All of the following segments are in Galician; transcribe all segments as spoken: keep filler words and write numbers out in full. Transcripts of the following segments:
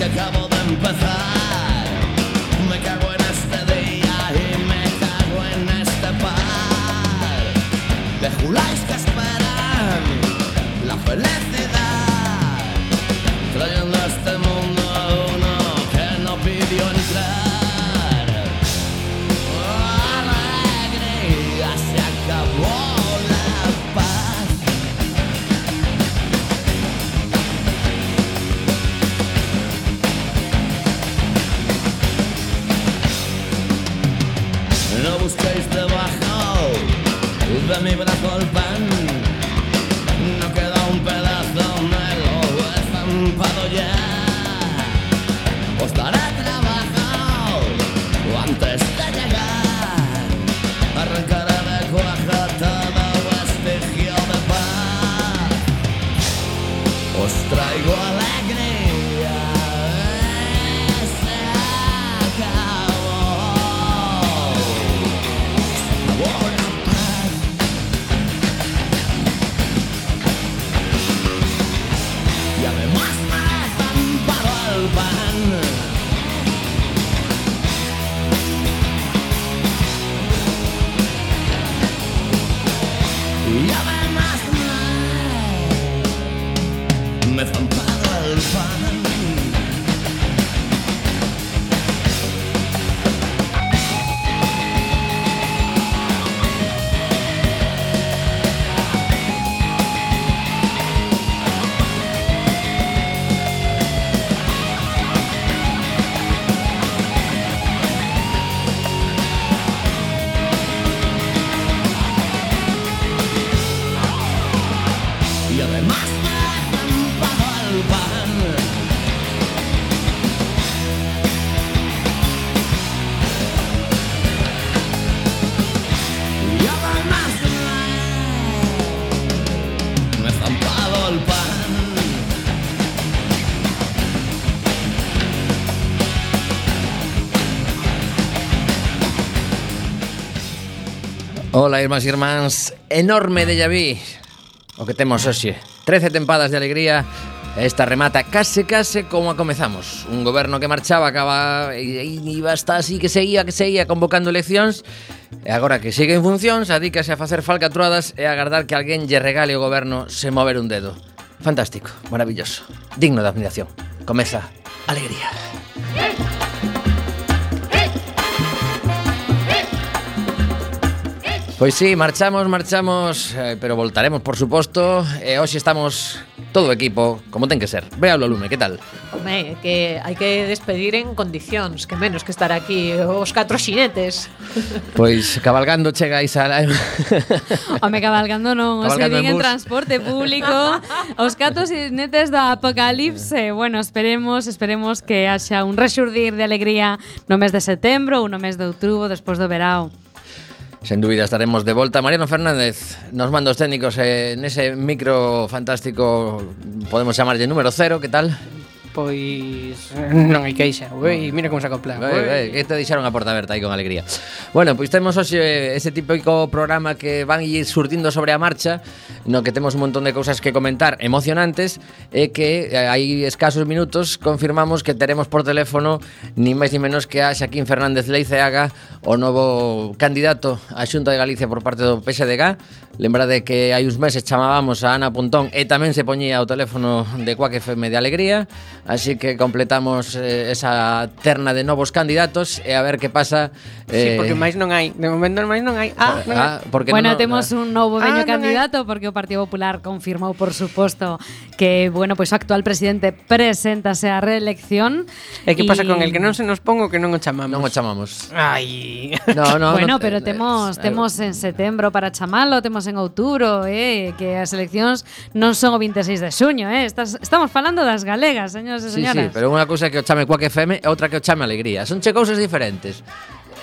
acabo de empezar. Me cago en este día y me cago en este par de juláis que esperan la felicidad, trayendo a este mundo a uno que no pidió entrar. Oh, alegría, se acabó la paz. No busquéis debajo de mi brazo el pan, no queda un pedazo, me lo he estampado ya. Os daré trabajo antes de llegar, arrancaré de cuaja todo vestigio de paz. Os traigo alegría, se acabó, se acabó la paz. Y además me he estampado el pan. Y además me, me he estampado el pan. Y además me he estampado el pan. Y además me, me he estampado el pan. Ola, irmás e irmáns, enorme déjà vu o que temos hoxe. trece tempadas de alegría. Esta remata case case como a comezamos. Un goberno que marchaba, acaba e iba hasta así que seguía, que seguía convocando eleccións. E agora que sigue en funcións, adícase a facer falcatruadas e a agardar que alguén lle regale o goberno sen mover un dedo. Fantástico, maravilloso, digno de admiración. Comeza alegría. Pois sí, marchamos, marchamos, eh, pero voltaremos, por suposto. E hoxe estamos todo o equipo, como ten que ser. Véalo, Lume, que tal? Home, que hai que despedir en condicións, que menos que estar aquí os catro xinetes. Pois cabalgando chegáis a... Home, cabalgando non, os Cabalgando verín en en bus. transporte público. Os catro xinetes do apocalipse. Bueno, esperemos, esperemos que haxa un rexurdir de alegría no mes de setembro ou no mes de outubro, despois do verao. Sen dúbida estaremos de volta. Mariano Fernández nos manda os técnicos eh, nese micro fantástico, podemos chamarlle número cero, que tal? Pois non hai queixa. Ui, mira como se acopla. Ui, ui, que te deixaron a porta aberta aí con alegría. Bueno, pois temos hoxe ese típico programa que van ir surtindo sobre a marcha, no que temos un montón de cousas que comentar emocionantes, e que hai escasos minutos confirmamos que teremos por teléfono ni máis ni menos que a Xaquín Fernández Leiceaga, o novo candidato á Xunta de Galicia por parte do P S D G. Lembrade que hai uns meses chamábamos a Ana Pontón e tamén se poñía o teléfono de Quack F M de alegría. Así que completamos eh, esa terna de novos candidatos e a ver que pasa. Eh... Sí, eh, porque máis non hai. De momento máis non hai. Ah, non hai. ah porque Bueno, non, temos ah, un novo veño Ah, non candidato porque o Partido Popular confirmou, por suposto, que, bueno, pois o actual presidente preséntase á reelección. E que pasa y... con el que non se nos pongo que non o chamamos? non o chamamos. Ai. No, no, Bueno, no, pero eh, temos eh, temos en setembro para chamalo, temos en outubro, eh, que as eleccións non son o vinte e seis de xuño, eh. Estás, estamos falando das galegas, señores e Sí, señoras. sí, pero unha cousa é que o chame Quack F M e outra que o chame alegría. Son che cousas diferentes.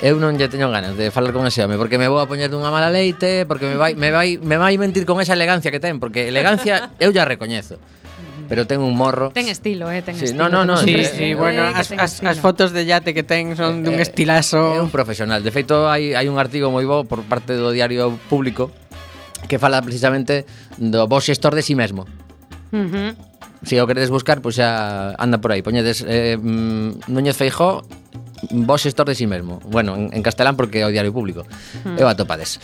Eu non lle teño ganas de falar con ese home porque me vou a poñer dunha mala leite, porque me vai me vai me vai mentir con esa elegancia que ten, porque elegancia eu ya recoñezo. Pero ten un morro. Ten estilo, eh, ten Sí, estilo. no, no, no, temos un Sí, sí, sí, presidente bueno, que as, ten as, estilo. as fotos de yate que ten son dun Eh, estilazo. É un profesional. De feito, hai, hai un artigo moi bo por parte do Diario Público que fala precisamente do bo xestor de si mesmo. Uh -huh. se o queredes buscar, pois xa anda por aí. Poñedes eh, Núñez Feijóo, vos xestor de si mesmo. Bueno, en, en castelán porque é o Diario Público. Mm. E o atopades.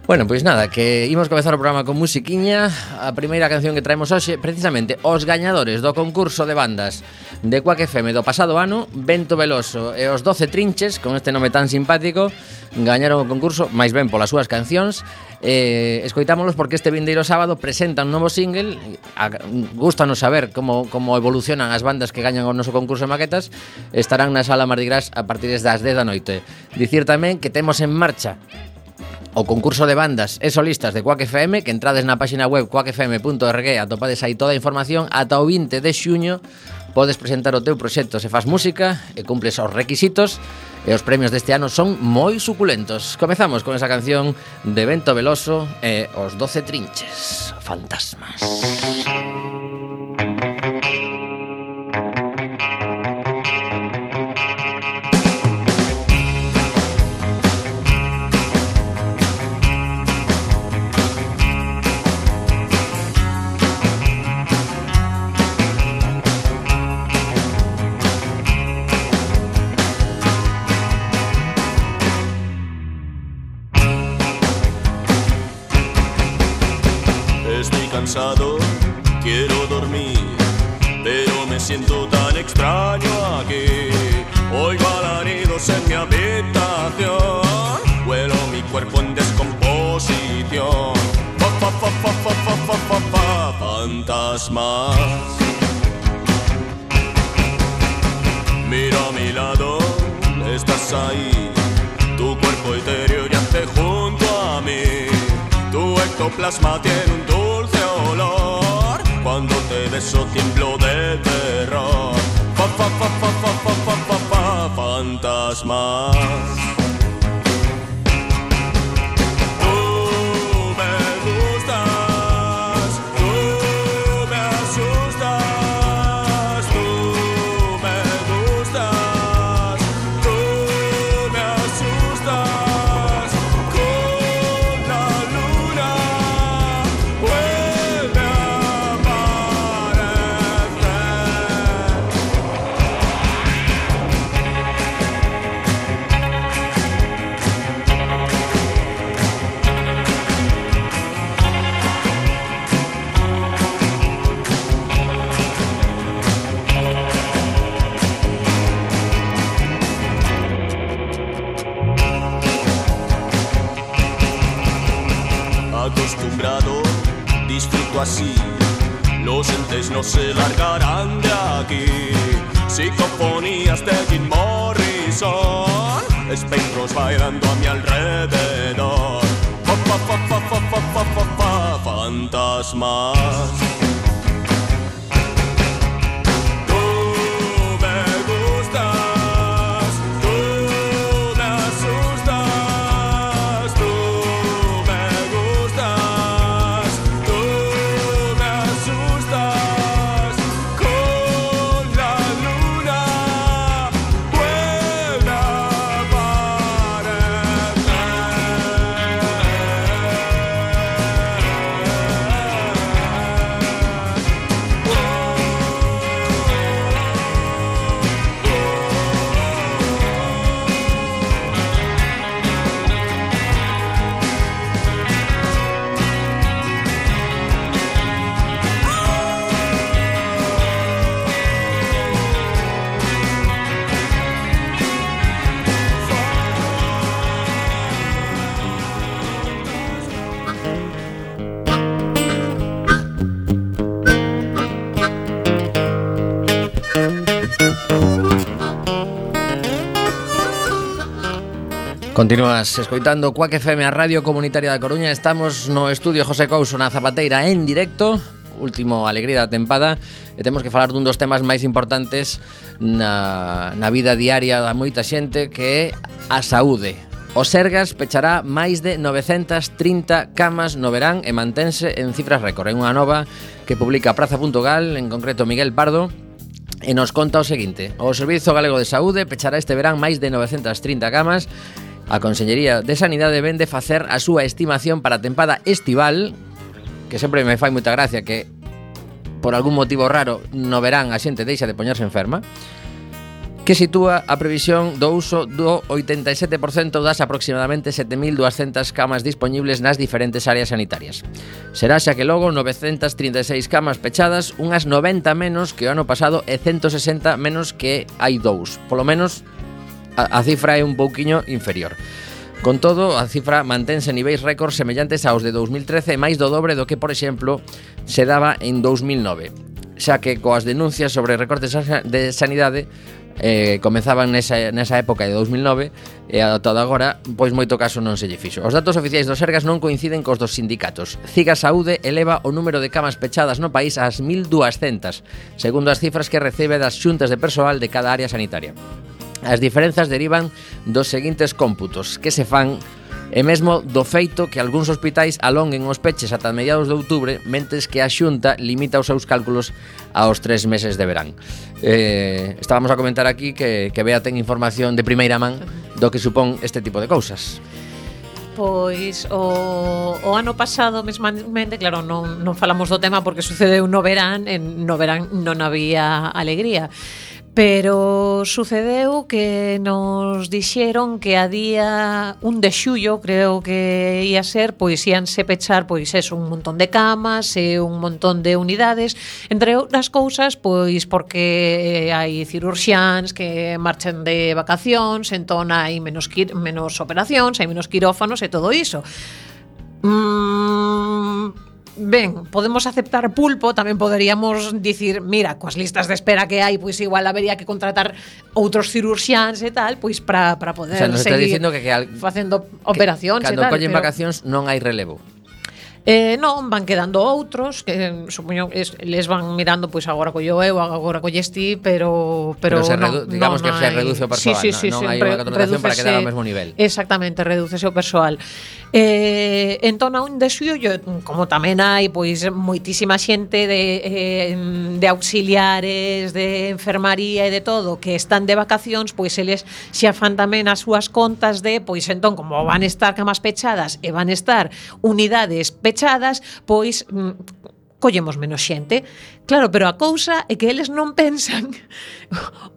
Bueno, pois nada, que imos comezar o programa con musiquiña. A primeira canción que traemos hoxe, precisamente, os gañadores do concurso de bandas de Quack F M do pasado ano, Vento Veloso e os doce Trinches, con este nome tan simpático, gañaron o concurso, máis ben polas súas cancións. Eh, escoitámolos porque este vindeiro sábado presentan un novo single. Gústanos saber como, como evolucionan as bandas que gañan o noso concurso de maquetas. Estarán na Sala Mardi Gras a partir das dez da noite. Dicir tamén que temos en marcha o concurso de bandas e solistas de Quack F M, que entrades na página web quack f m punto org, atopades aí toda a información. Ata o vinte de xuño podes presentar o teu proxecto se faz música e cumples os requisitos, e os premios deste ano son moi suculentos. Comezamos con esa canción de Vento Veloso e os doce Trinches, Fantasmas. Quiero dormir, pero me siento tan extraño aquí. Oigo alaridos en mi habitación, huelo mi cuerpo en descomposición. Fa, fa, fa, fa, fa, fa, fa, fa, fa, fantasmas. Mira a mi lado, estás ahí. Tu cuerpo etéreo yace junto a mí. Tu ectoplasma tiene un dulce olor. Cuando te beso tiemblo de terror. Fa, fa, fa, fa, fa, fa, fa, fa, fa, fantasmas. Acostumbrado, disfruto así. Los entes no se largarán de aquí. Psicofonías de Jim Morrison, espectros bailando a mi alrededor. Fa, fa, fa, fa, fa, fa, fa, fa, fa, fantasmas. Continúas escoitando Quack F M, a Radio Comunitaria da Coruña. Estamos no estudio José Couso na Zapateira en directo, último alegría da tempada, e temos que falar dun dos temas máis importantes na, na vida diaria da moita xente, que é a saúde. O Sergas pechará máis de novecentas trinta camas no verán e mantense en cifras récord. É unha nova que publica Praza punto gal, en concreto Miguel Pardo, e nos conta o seguinte: o Servizo Galego de Saúde pechará este verán máis de novecentas trinta camas. A Consellería de Sanidade vende facer a súa estimación para a tempada estival, que sempre me fai moita gracia que por algún motivo raro, no verán a xente deixa de poñerse enferma, que sitúa a previsión do uso do oitenta e sete por cento das aproximadamente sete mil duascentas camas dispoñibles nas diferentes áreas sanitarias. Será xa que logo novecentas trinta e seis camas pechadas, unhas noventa menos que o ano pasado e ciento sesenta menos que hai dous. Polo menos a, a cifra é un pouquiño inferior. Con todo, a cifra mantense en niveis récord semellantes aos de dous mil trece e máis do dobre do que, por exemplo, se daba en dous mil nove. Xa que coas denuncias sobre recortes de sanidade eh, comenzaban nesa, nesa época de dous mil nove e ata agora, pois moito caso non se lle fixo. Os datos oficiais do Sergas non coinciden cos dos sindicatos. Ciga Saúde eleva o número de camas pechadas no país ás mil duascentas, segundo as cifras que recebe das xuntas de persoal de cada área sanitaria. As diferenzas derivan dos seguintes cómputos que se fan e mesmo do feito que algúns hospitais alonguen os peches ata mediados de outubro, mentes que a Xunta limita os seus cálculos aos tres meses de verán. Eh, estábamos a comentar aquí que, que Bea ten información de primeira man do que supón este tipo de cousas. Pois o, o ano pasado mesmamente, claro, non, non falamos do tema porque sucedeu no verán, en no verán non había alegría. Pero sucedeu que nos dixeron que a día un de xullo, creo que ia ser, pois íanse pechar, pois eso, un montón de camas e un montón de unidades, entre outras cousas, pois porque hai cirurxiáns que marchan de vacacións, entón hai menos, quir- menos operacións, hai menos quirófanos e todo iso. Mmm... Ben, podemos aceptar pulpo, tamén poderíamos dicir, mira, coas listas de espera que hai, pois igual habería que contratar outros cirurxiáns e tal, pois para para poder, o sea, nos está seguir dicindo que, que al, facendo operacións que, e tal. cando collen pero... vacacións non hai relevo. Eh, non, van quedando outros que supoño es, les van mirando, pois agora collo eu, agora colles ti, pero pero, Pero se non, redu- digamos non que se hai... reduce o persoal, sí, sí, sí, non, non sí, hai unha contratación para quedar ao mesmo nivel. Exactamente, redúcese o persoal. Eh, entón, a un de xullo, como tamén hai pois moitísima xente de eh, de auxiliares, de enfermaría e de todo que están de vacacións, pois eles xa fan tamén as súas contas de, pois entón, como van estar camas pechadas e van estar unidades pechadas, pois mm, collemos menos xente. Claro, pero a cousa é que eles non pensan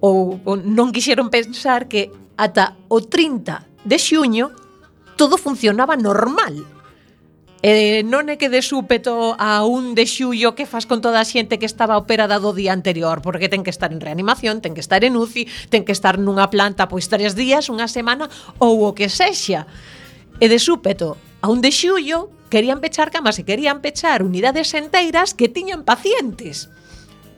ou, ou non quixeron pensar que ata o trinta de xuño todo funcionaba normal. Eh, non é que de súpeto a un de xullo que fas con toda a xente que estaba operada do día anterior, porque ten que estar en reanimación, ten que estar en U C I, ten que estar nunha planta pois tres días, unha semana ou o que sexa. E de súpeto a un de xullo querían pechar camas e querían pechar unidades enteiras que tiñan pacientes.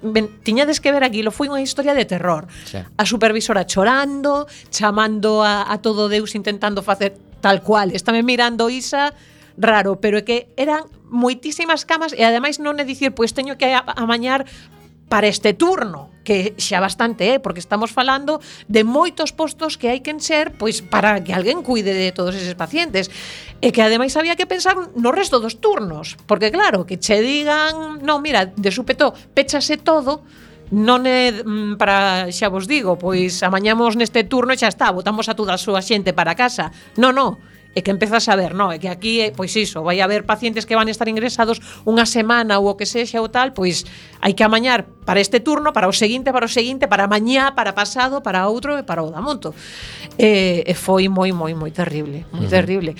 Ben, tiñades que ver aquilo, foi unha historia de terror. Sí. A supervisora chorando, chamando a, a todo Deus, intentando facer tal cual. Estame mirando Isa raro, pero é que eran moitísimas camas e ademais non é dicir, pois teño que a- amañar para este turno, que xa bastante é, porque estamos falando de moitos postos que hai que encher pois para que alguén cuide de todos eses pacientes. E que ademais había que pensar no resto dos turnos, porque claro, que che digan, non, mira, de súpeto péchase todo, non é mm, para, xa vos digo, pois amañamos neste turno e xa está, botamos a toda a súa xente para casa. Non, non. É que empezas a ver, non, é que aquí, pois iso, vai haber pacientes que van estar ingresados unha semana ou o que sexa ou tal, pois hai que amañar para este turno, para o seguinte, para o seguinte, para mañá, para pasado, para outro e para o da monto. E, e foi moi, moi, moi terrible, moi uh-huh. terrible.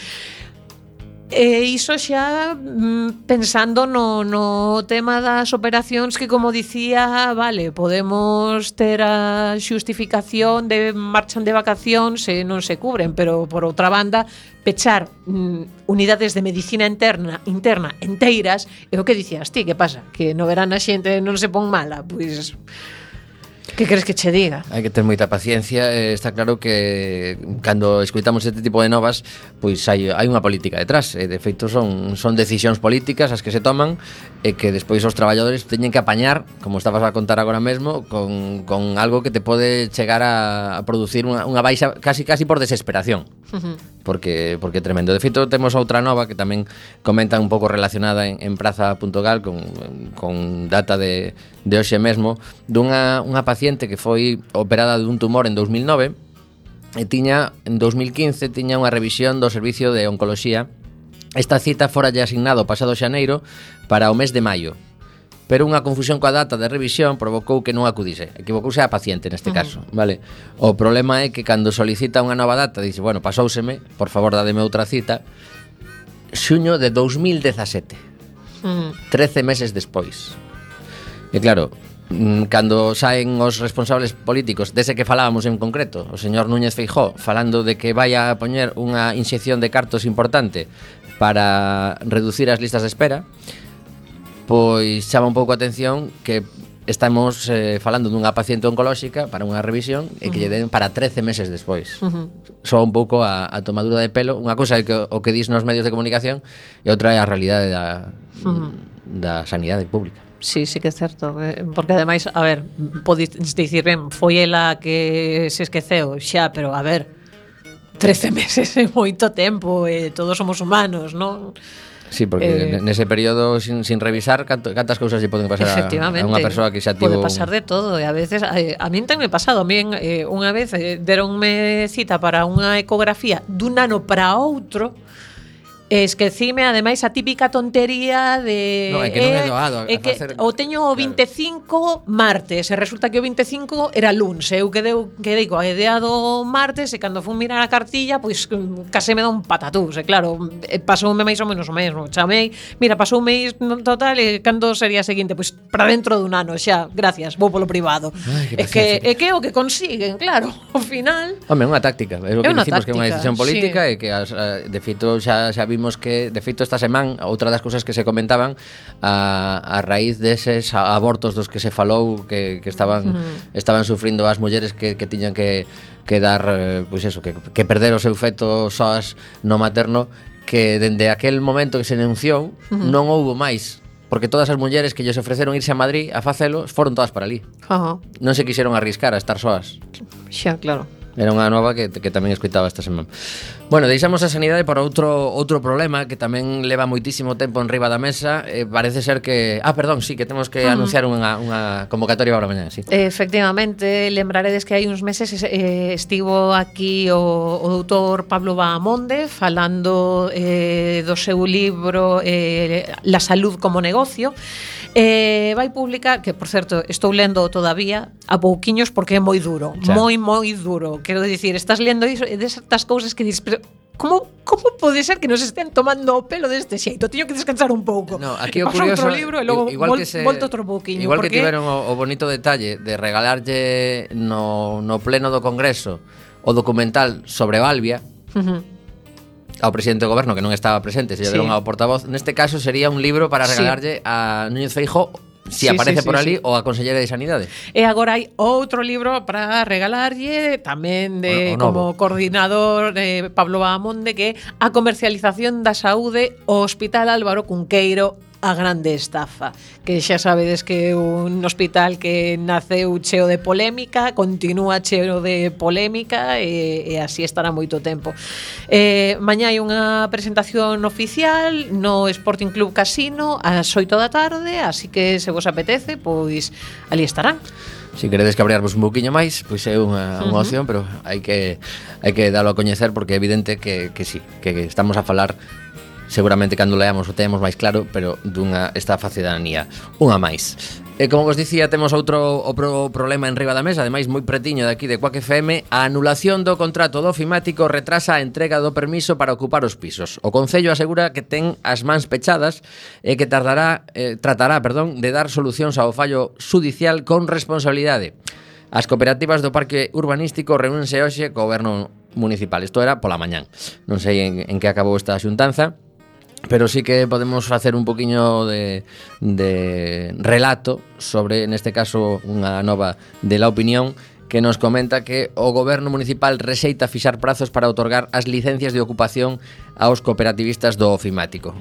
E iso xa mm, pensando no, no tema das operacións que, como dicía, vale, podemos ter a xustificación de marchan de vacacións e non se cubren, pero por outra banda, pechar mm, unidades de medicina interna interna enteiras, é o que dicías ti, que pasa? Que no verán a xente non se pon mala, pois... Que queres que che diga? Hai que ter moita paciencia, eh, está claro que cando escoitamos este tipo de novas, pois hai, hai unha política detrás, e de feito son, son decisións políticas as que se toman e que despois os traballadores teñen que apañar, como estabas a contar agora mesmo, con, con algo que te pode chegar a, a producir unha, unha baixa casi casi por desesperación. Uh-huh. Porque porque é tremendo. De feito, temos outra nova que tamén comenta un pouco relacionada en, en praza punto gal con, con data de, de hoxe mesmo, dunha unha paciente que foi operada dun tumor en dous mil nove e tiña, en dous mil quince, tiña unha revisión do servicio de oncoloxía. Esta cita fora lle asignado pasado xaneiro para o mes de maio. pero unha confusión coa data de revisión provocou que non acudise. Equivocouse a paciente neste caso, vale? O problema é que cando solicita unha nova data dice, bueno, pasóuseme, por favor, dádeme outra cita. Xuño de dous mil dezasete. Mm. trece meses despois. E claro, cando saen os responsables políticos dese que falábamos en concreto, o señor Núñez Feijóo, falando de que vai a poñer unha inxección de cartos importante para reducir as listas de espera, pois chama un pouco a atención que estamos eh, falando dunha paciente oncolóxica para unha revisión e que lle den para trece meses despois. Uh-huh. Só un pouco a, a tomadura de pelo. Unha cousa é que, o que dis nos medios de comunicación e outra é a realidade da, uh-huh. da sanidade pública. Sí, sí que é certo, porque ademais, a ver, podes dicir, ben, foi ela que se esqueceu, xa, pero a ver, trece meses é moito tempo, e todos somos humanos, non? Sí, porque eh, nese período sin, sin revisar canto, cantas cousas lle poden pasar a, a unha persoa que xa tivo... Pode pasar de todo, e a veces a, a min ten me pasado, a min eh, unha vez eh, deronme cita para unha ecografía dun ano para outro. Esquecime, ademais, a típica tontería de... No, é que non é doado a, é que facer... o teño o vinte e cinco martes, e resulta que o vinte e cinco era luns, eu quedei, quedei coa idea do martes, e cando fun mirar a cartilla, pois case me dá un patatús, e claro, pasoume máis ou menos o mesmo, chamei, mira, pasoume isto total, e cando sería a seguinte? Pois para dentro dun ano, xa, gracias, vou polo privado. Ai, é que é que o que consiguen, claro, ao final... Home, unha táctica, é o que é dicimos que é unha decisión política sí. e que, as, de feito, xa, xa vimos que de feito esta semana outra das cousas que se comentaban a, a raíz deses abortos dos que se falou que, que estaban uh-huh. estaban sufrindo as mulleres que, que tiñan que, que dar pois eso, que, que perder o seu feto soas no materno, que dende aquel momento que se denunciou uh-huh. non houbo máis, porque todas as mulleres que lles ofreceron irse a Madrid a facelo foron todas para ali. Uh-huh. Non se quixeron arriscar a estar soas. Xa, claro. Era unha nova que, que tamén escoitaba esta semana. Bueno, deixamos a sanidade por outro outro problema que tamén leva moitísimo tempo en riba da mesa. eh, Parece ser que... Ah, perdón, sí, que temos que uh-huh. anunciar unha, unha convocatoria para mañana, sí. Efectivamente, lembraredes que hai uns meses eh, estivo aquí o, o doutor Pablo Bahamonde falando eh, do seu libro eh, La salud como negocio. Eh, vai publicar, que por certo estou lendo todavía a pouquiños porque é moi duro, xa. moi moi duro. Quero dicir, estás lendo iso e destas cousas que dices, pero como como pode ser que nos estén tomando o pelo deste xeito? Teño que descansar un pouco. No, aquí o Paso curioso, outro libro e logo igual vol, que se, volto outro pouquiño. Igual porque... que tiveron o, o bonito detalle de regalarlle no, no pleno do Congreso o documental sobre Balbia. Uh-huh. Ao presidente do goberno que non estaba presente, se lle deron Sí. ao portavoz. Neste caso sería un libro para regalarlle sí. a Núñez Feijóo, si Sí, aparece sí, por sí, ali, sí. ou a Consellera de Sanidade. E agora hai outro libro para regalarlle tamén de O- o novo. como coordinador de Pablo Bahamonde, que é a comercialización da saúde ao Hospital Álvaro Cunqueiro, a grande estafa, que xa sabedes que é un hospital que naceu cheo de polémica, continúa cheo de polémica e, e así estará moito tempo. Eh, mañá hai unha presentación oficial no Sporting Club Casino ás oito da tarde, así que se vos apetece, pois ali estarán. Se queredes cabrearvos un pouquiño máis, pois é unha, unha opción, pero hai que hai que dalo a coñecer porque é evidente que, que sí, que estamos a falar seguramente cando leamos o temos máis claro, pero dunha estafa cidadanía, unha máis. E como vos dicía, temos outro o pro problema en riba da mesa, ademais moi pretiño de aquí de Quack F M, a anulación do contrato do ofimático retrasa a entrega do permiso para ocupar os pisos. O Concello asegura que ten as mans pechadas e que tardará, eh, tratará, perdón, de dar solucións ao fallo xudicial con responsabilidade. As cooperativas do Parque Urbanístico reúnense hoxe co goberno municipal. Isto era pola mañán. Non sei en, en que acabou esta xuntanza, pero sí que podemos facer un poquiño de, de relato sobre, neste caso, unha nova de La Opinión, que nos comenta que o goberno municipal rexeita fixar prazos para outorgar as licencias de ocupación aos cooperativistas do ofimático.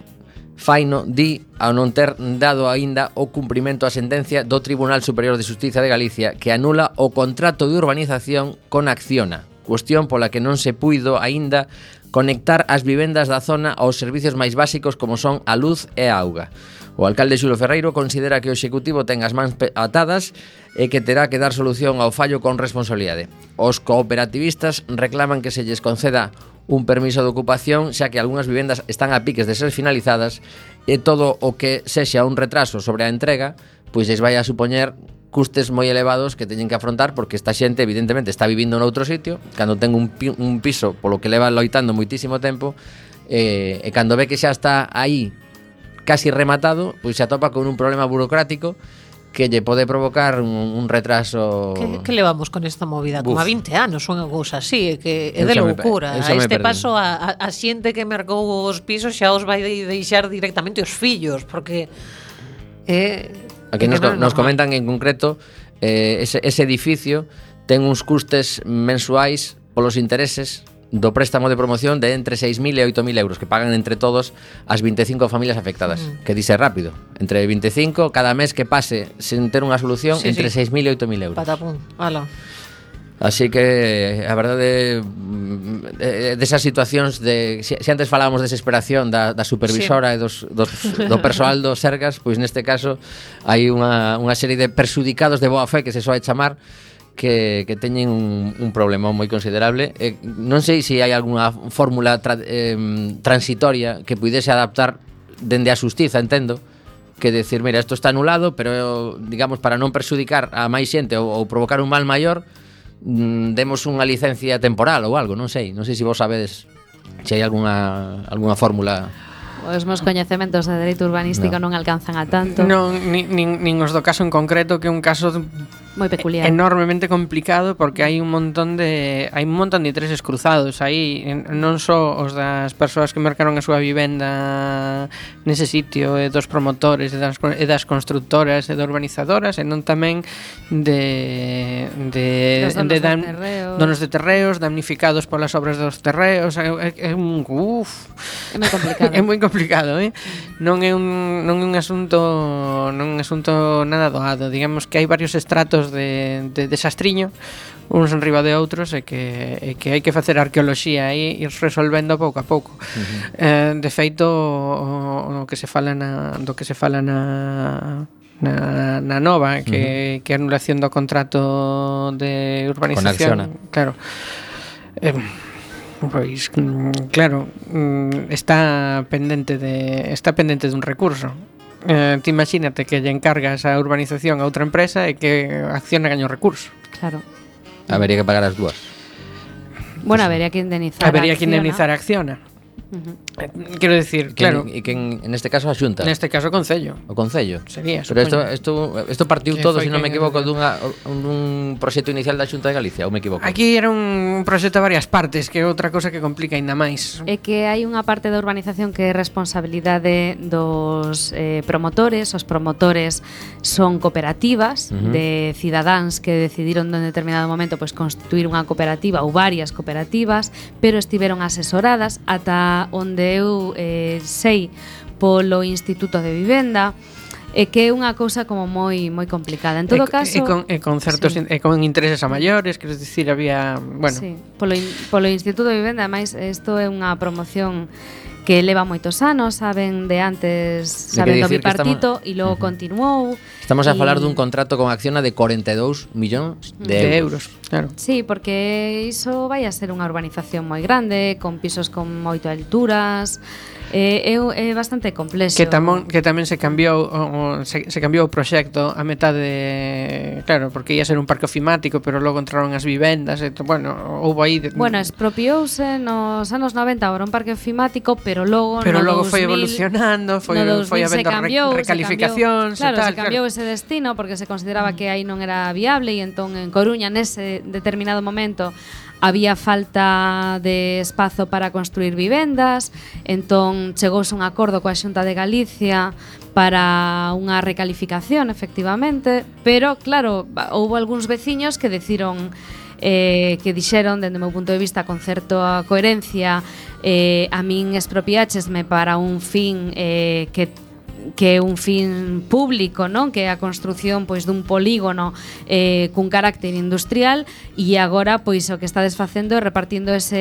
Faino di ao non ter dado aínda o cumprimento á sentencia do Tribunal Superior de Xustiza de Galicia que anula o contrato de urbanización con Acciona, cuestión pola que non se puido aínda conectar as vivendas da zona aos servicios máis básicos como son a luz e a auga. O alcalde Xulo Ferreiro considera que o Executivo ten as mans atadas e que terá que dar solución ao fallo con responsabilidade. Os cooperativistas reclaman que se lles conceda un permiso de ocupación, xa que algunhas vivendas están a piques de ser finalizadas e todo o que sexa un retraso sobre a entrega pois lles vai a supoñer custes moi elevados que teñen que afrontar, porque esta xente evidentemente está vivindo noutro sitio, cando ten un, pi- un piso polo que leva loitando moitísimo tempo, eh, e cando ve que xa está aí casi rematado, pois se atopa con un problema burocrático que lle pode provocar un, un retraso. Que, que levamos con esta movida? Como a vinte anos, unha cousa así, é que é Eu de xa me loucura. pe- eu xa A me este perdín. paso a, a, a xente que mercou os pisos xa os vai de- deixar directamente os fillos, porque é Aquí é que nos, non é nos normal. comentan en concreto eh, ese, ese edificio ten uns custes mensuais polos intereses do préstamo de promoción de entre seis mil e oito mil euros que pagan entre todos as vinte e cinco familias afectadas, Mm. que dice rápido, entre vinte e cinco cada mes que pase sen ter unha solución, Sí, entre sí. seis mil e oito mil euros. Patapum, ala. Así que a verdade mm, eh, desas situacións de se, se antes falábamos de desesperación da, da supervisora sí. e dos, dos, do persoal do Sergas, pois neste caso hai unha, unha serie de perxudicados de boa fe que se soe chamar que, que teñen un, un problema moi considerable. Eh, non sei se hai algunha fórmula tra, eh, transitoria que puidese adaptar dende a xustiza, entendo, que decir, mira, isto está anulado, pero digamos para non perxudicar a máis xente ou, ou provocar un mal maior, mm, demos unha licencia temporal ou algo, non sei, non sei se vos sabedes se hai algunha algunha fórmula. Os meus coñecementos de dereito urbanístico No. non alcanzan a tanto. Non, nin, nin, nin os do caso en concreto, que é un caso Moi peculiar. enormemente complicado, porque hai un montón de hai un montón de intereses cruzados aí, non só os das persoas que mercaron a súa vivenda nese sitio, e dos promotores, e das, e das constructoras e das urbanizadoras, e non tamén de de, Dos donos de de dam- terreos. donos de terreos damnificados polas obras dos terreos. É, é, é un uf, É moi complicado. é moi complicado, eh? Non é un non é un asunto non é un asunto nada doado. Digamos que hai varios estratos de, de desastriño, uns en riba de outros, e que e que hai que facer arqueoloxía e ir resolvendo pouco a pouco. Uh-huh. Eh, de feito, o, o que se fala na do que se fala na na, na nova, que, uh-huh. que a anulación do contrato de urbanización, claro. Eh, Pois, mm, claro, mm, está pendente de está pendente dun recurso. Eh, ti imagínate que lle encargas a urbanización a outra empresa e que Acciona gaña o recurso. Claro. Habería que pagar as dúas. Bueno, habería que indemnizar. Habería que a Acciona. indemnizar a Acciona. Uh-huh. Eh, Quero decir, claro, E que en, en este caso a Xunta, neste caso o Concello o Concello. sería, Pero isto supoño. isto isto partiu Que todo, foi se non me que- equivoco, dunha un, un proxecto inicial da Xunta de Galicia, ou me equivoco? Aquí era un proxecto a varias partes, que é outra cosa que complica aínda máis. É que hai unha parte da urbanización que é responsabilidade dos eh, promotores. Os promotores son cooperativas Ujú. de cidadáns que decidiron en determinado momento pois constituir unha cooperativa ou varias cooperativas, pero estiveron asesoradas ata onde eu eh, sei polo Instituto de Vivenda, e que é unha cousa como moi moi complicada. En todo e, caso, e con, e con certos sí. in, e con intereses a maiores, quero dicir, había, bueno, Sí, polo, in, polo Instituto de Vivenda, ademais, isto é unha promoción que leva moitos anos, saben de antes, Hai que saben do dicir que bipartito, estamos- e logo Ujú. continuou. Estamos a e- falar dun contrato con Acciona de corenta e dous millóns de, de euros. euros, claro. Sí, porque iso vai a ser unha urbanización moi grande, con pisos con moito alturas, é, é, é bastante complexo. Que tamén que tamén se cambiou o, o, se, se cambiou o proxecto a metade, claro, porque ia ser un parque ofimático, pero logo entraron as vivendas, e, bueno, houbo aí de, Bueno, expropiouse nos anos noventa ahora un parque ofimático, pero logo pero no logo foi dous mil evolucionando, foi no foi dous mil se habendo cambiou, re, recalificacións se cambiou, claro, e tal, se cambiou ese destino porque se consideraba que aí non era viable, e entón en Coruña nese determinado momento había falta de espazo para construir vivendas, entón chegouse un acordo coa Xunta de Galicia para unha recalificación, efectivamente, pero claro, houve algúns veciños que decidiron eh, que dixeron, dende o meu punto de vista, con certa coherencia, eh, a min expropiáchesme para un fin eh, que que é un fin público, non? Que é a construción pois dun polígono eh, cun carácter industrial, e agora pois o que está desfacendo é repartindo ese,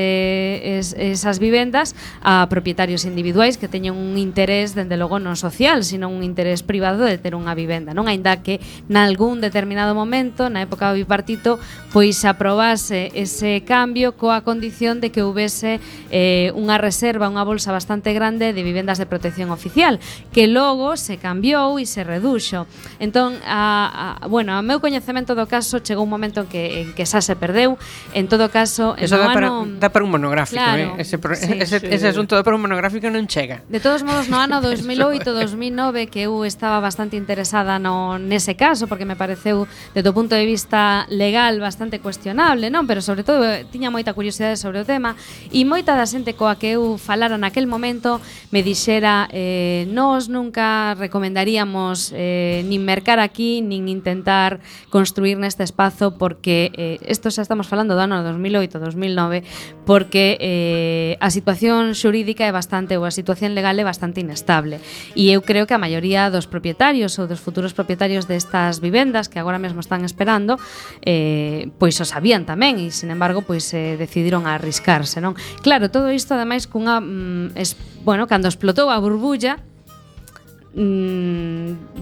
es, esas vivendas a propietarios individuais que teñen un interés, dende logo non social, sino un interés privado de ter unha vivenda, non? Aínda que nalgún determinado momento, na época do bipartito, pois aprobase ese cambio coa condición de que houbese eh, unha reserva, unha bolsa bastante grande de vivendas de protección oficial, que logo logo se cambiou e se reduxo. Entón, a, a, bueno, a meu coñecemento do caso chegou un momento en que, en que xa se perdeu. En todo caso, Eso no dá, para, ano... dá para un monográfico, Claro, eh? ese, pro, sí, ese, sí. ese asunto dá para un monográfico non chega. De todos modos, no ano dos mil oito, dos mil nove, que eu estaba bastante interesada no nese caso, porque me pareceu, desde o punto de vista legal, bastante cuestionable, non? Pero, sobre todo, tiña moita curiosidade sobre o tema, e moita da xente coa que eu falara naquel momento me dixera eh, nós nunca recomendaríamos eh, nin mercar aquí, nin intentar construir neste espazo, porque eh, isto xa estamos falando do ano dos mil oito, dos mil nove, porque eh, a situación xurídica é bastante, ou a situación legal é bastante inestable, e eu creo que a maioría dos propietarios ou dos futuros propietarios destas vivendas que agora mesmo están esperando eh, pois o sabían tamén, e sin embargo pois eh, decidiron a arriscarse, non? Claro, todo isto ademais cunha mm, es, bueno, cando explotou a burbulla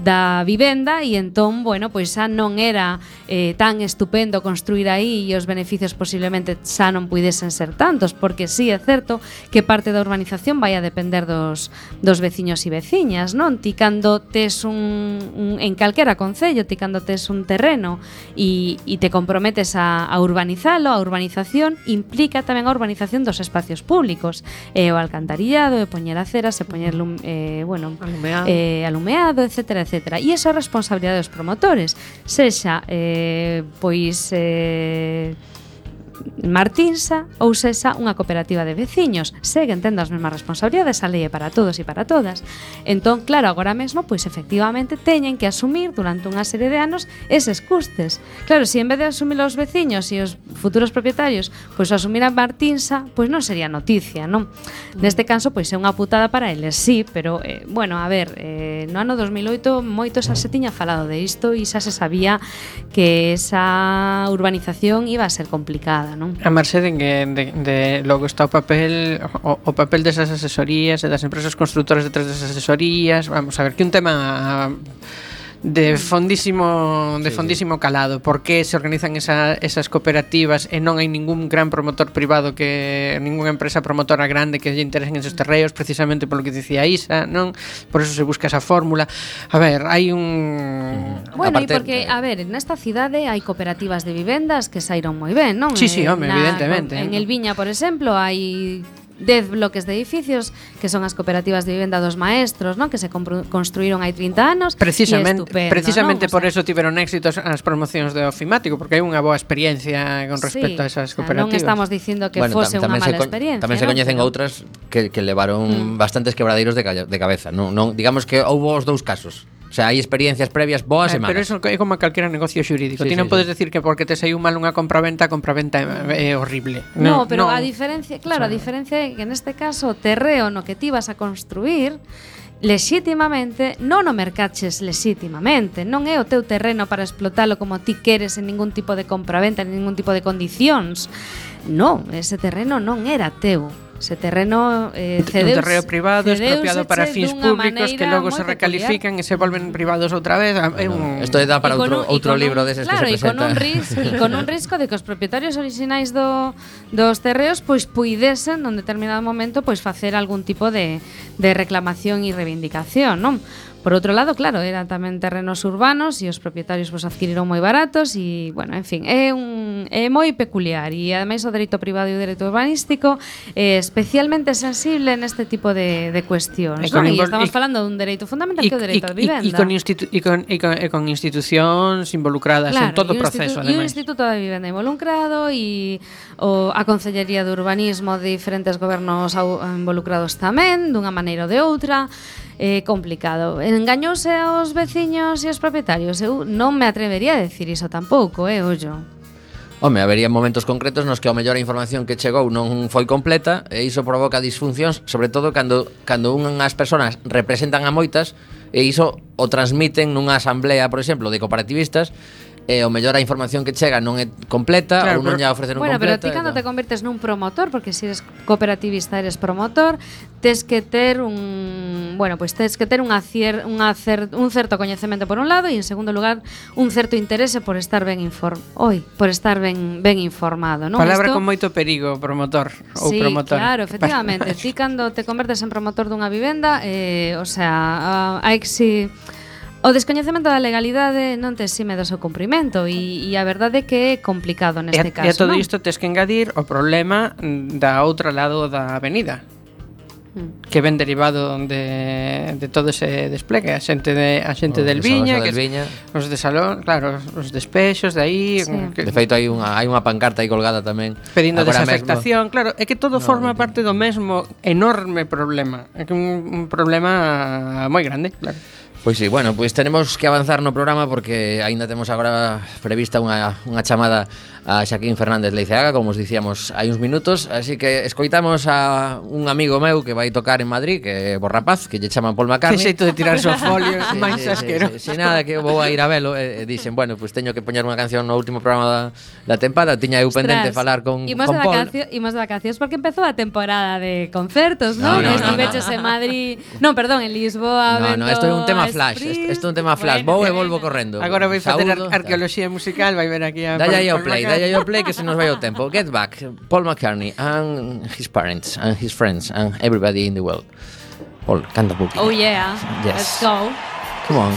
da vivenda, e entón, bueno, pois xa non era eh, tan estupendo construir aí, e os beneficios posiblemente xa non puidesen ser tantos, porque sí é certo que parte da urbanización vai a depender dos, dos veciños e veciñas, non? Ti cando tes un, un en calquera concello, ti cando tes un terreno e, e te comprometes a, a urbanizalo, a urbanización implica tamén a urbanización dos espacios públicos, e o alcantarillado, e poñer aceras, e poñer lum, eh, bueno, Alumeado. eh, alumeado, etcétera, etcétera. E iso é responsabilidade dos promotores, sexa eh, pois eh, Martinsa ou sexa unha cooperativa de veciños, seguen tendo as mesmas responsabilidades, a lei é para todos e para todas. Entón, claro, agora mesmo, pois efectivamente teñen que asumir durante unha serie de anos eses custes. Claro, se en vez de asumir os veciños e os futuros propietarios, pois asumir a Martinsa, pois non sería noticia, non? Neste caso, pois é unha putada para eles, sí, pero, eh, bueno, a ver, eh, no ano dos mil oito moito xa se tiña falado de isto e xa se sabía que esa urbanización iba a ser complicada, non? A marxe de que de, de, logo está o papel o, o papel desas asesorías e das empresas constructoras detrás desas asesorías. Vamos a ver, que un tema de fondísimo de fondísimo calado. Por que se organizan esa, esas cooperativas e non hai ningún gran promotor privado, que ninguna empresa promotora grande que lle interesen esos terreos, precisamente polo que dicía Isa, non? Por eso se busca esa fórmula. A ver, hai un... Bueno, e Aparte, porque, a ver, nesta cidade hai cooperativas de vivendas que saíron moi ben, non? Sí, sí, Eh, home, evidentemente. En El Viña, por exemplo, hai dez bloques de edificios que son as cooperativas de vivenda dos maestros, non? Que se construíron hai trinta anos. Precisamente, estupendo, precisamente non? por O sea, eso tiveron éxito as promocións de ofimático, porque hai unha boa experiencia con respecto sí, a esas o sea, cooperativas. Non estamos dicindo que Bueno, fose tam- unha tamén se mala co- experiencia. Tamén se non? coñecen Pero- outras que, que levaron mm. bastantes quebradeiros de, calla- de cabeza. Non, non, digamos que houbo os dous casos. O sea, hai experiencias previas boas Eh, e malas. pero eso é como calquera negocio xurídico. Sí, Ti sí, non sí. podes decir que porque te saiu mal unha compraventa, a compraventa é, é horrible. No, pero a diferencia, claro, a diferencia é que neste caso o terreo no que ti vas a construir lexítimamente non o mercaches lexítimamente, non é o teu terreno para explotalo como ti queres en ningún tipo de compraventa, en ningún tipo de condicións. Non, ese terreno non era teu. Ese terreno eh, cedeus, un terreno privado expropiado para fins dunha públicos que maneira logo moi se recalifican e se volven privados outra vez. É un... Isto dá para E con outro, un- e outro con libro un- deses claro, que se e con un presenta. risco, e con un risco de que os propietarios orixinais do, dos terreos pois puidesen nun determinado momento pois facer algún tipo de, de reclamación e reivindicación, non? Por outro lado, claro, eran tamén terrenos urbanos e os propietarios pois adquiriron moi baratos e, bueno, en fin, é un é moi peculiar e ademais o dereito privado e o dereito urbanístico é especialmente sensible neste tipo de, de cuestións, E con non? E invol- estamos e- falando dun dereito fundamental que é o dereito á e, vivenda. e, con institu- e, con, e, con, e con institucións involucradas en todo o e un proceso, institu- E un ademais. instituto de vivenda involucrado e o, a Consellería de Urbanismo de diferentes gobernos au- involucrados tamén, dunha maneira ou de outra. É complicado. Engañouse aos veciños e aos propietarios? Eu non me atrevería a decir iso tampouco, eh, ollo. Home, habería momentos concretos nos que ao mellor a información que chegou non foi completa e iso provoca disfuncións, sobre todo cando, cando unhas persoas representan a moitas e iso o transmiten nunha asamblea, por exemplo, de cooperativistas e o mellor a información que chega non é completa, Claro, ou non pero- lla ofreceron Bueno, pero completa. ti cando e te tal. convertes nun promotor, porque se eres cooperativista eres promotor, tes que ter un, bueno, pois pues tes que ter unha cier, unha cer, un certo coñecemento por un lado e en segundo lugar un certo interese por estar ben inform, oi, por estar ben ben informado, non? Palabra Isto- con moito perigo, promotor ou Sí, promotor. claro, efectivamente. Ti cando te convertes en promotor dunha vivenda, eh, o sea, a, a exi o descoñecemento da legalidade non te exime do seu cumprimento e, e a verdade é que é complicado E a, neste e caso, a todo non? isto tes que engadir o problema mm, da outra lado da avenida, Mm. que ven derivado de, de todo ese despliegue, a xente de a xente O del desaloxo Viña, del que Viña. os de Salón, claro, os despexos de aí, Sí. que, De feito hai unha hai unha pancarta aí colgada tamén. pedindo Agora desafectación, claro, é que todo No, forma non parte do mesmo enorme problema. É que un, un problema moi grande, claro. Pois sí, bueno, pois tenemos que avanzar no programa porque aínda temos agora prevista unha, unha chamada a Xaquín Fernández Leiceaga, como os dicíamos hai uns minutos, así que escoitamos a un amigo meu que vai tocar en Madrid, que é Borrapaz, que lle chaman Paul Que McCartney. xeito de tirarse o folio, Sí, máis sí, sí, asqueroso. sí, sí, nada, que vou a ir a velo e, e dixen, bueno, pois teño que poñer unha canción no último programa da, da tempada. Tiña eu pendente Ostras, falar con, imos con de Paul. vacacio- imos de vacacións porque empezou a temporada de concertos, No, non? no, no, Estiveches no. en Madrid, non, perdón, en Lisboa, No, no, vendo isto é un tema a flash, Spring. isto, isto é un tema flash. Bueno, Vou e bueno. volvo correndo. Agora vai facer Saúdo, ar arqueoloxía musical, vai ver aquí a Dalle aí ao Paul play, McCartney. dalle aí ao play que se nos vai o tempo. Get Back, Paul McCartney and his parents and his friends and everybody in the world. Paul, canta un poquito. Oh yeah, Yes. let's go. Come on.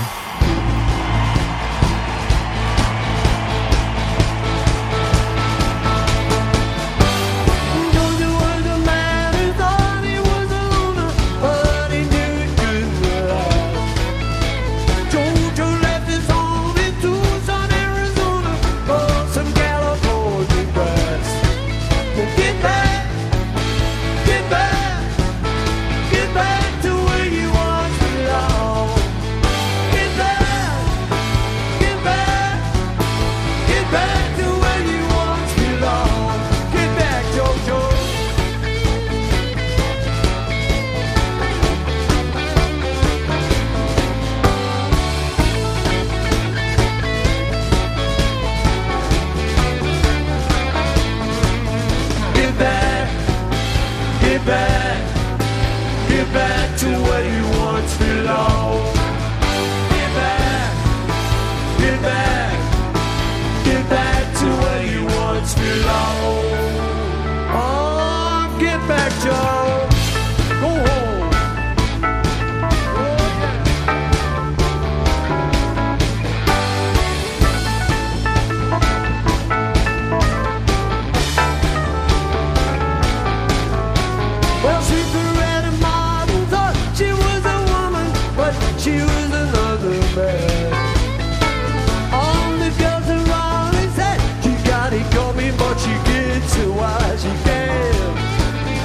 Well, she read a model, thought she was a woman, but she was another man. All the girls around me said she got it coming, but she gets it while she can.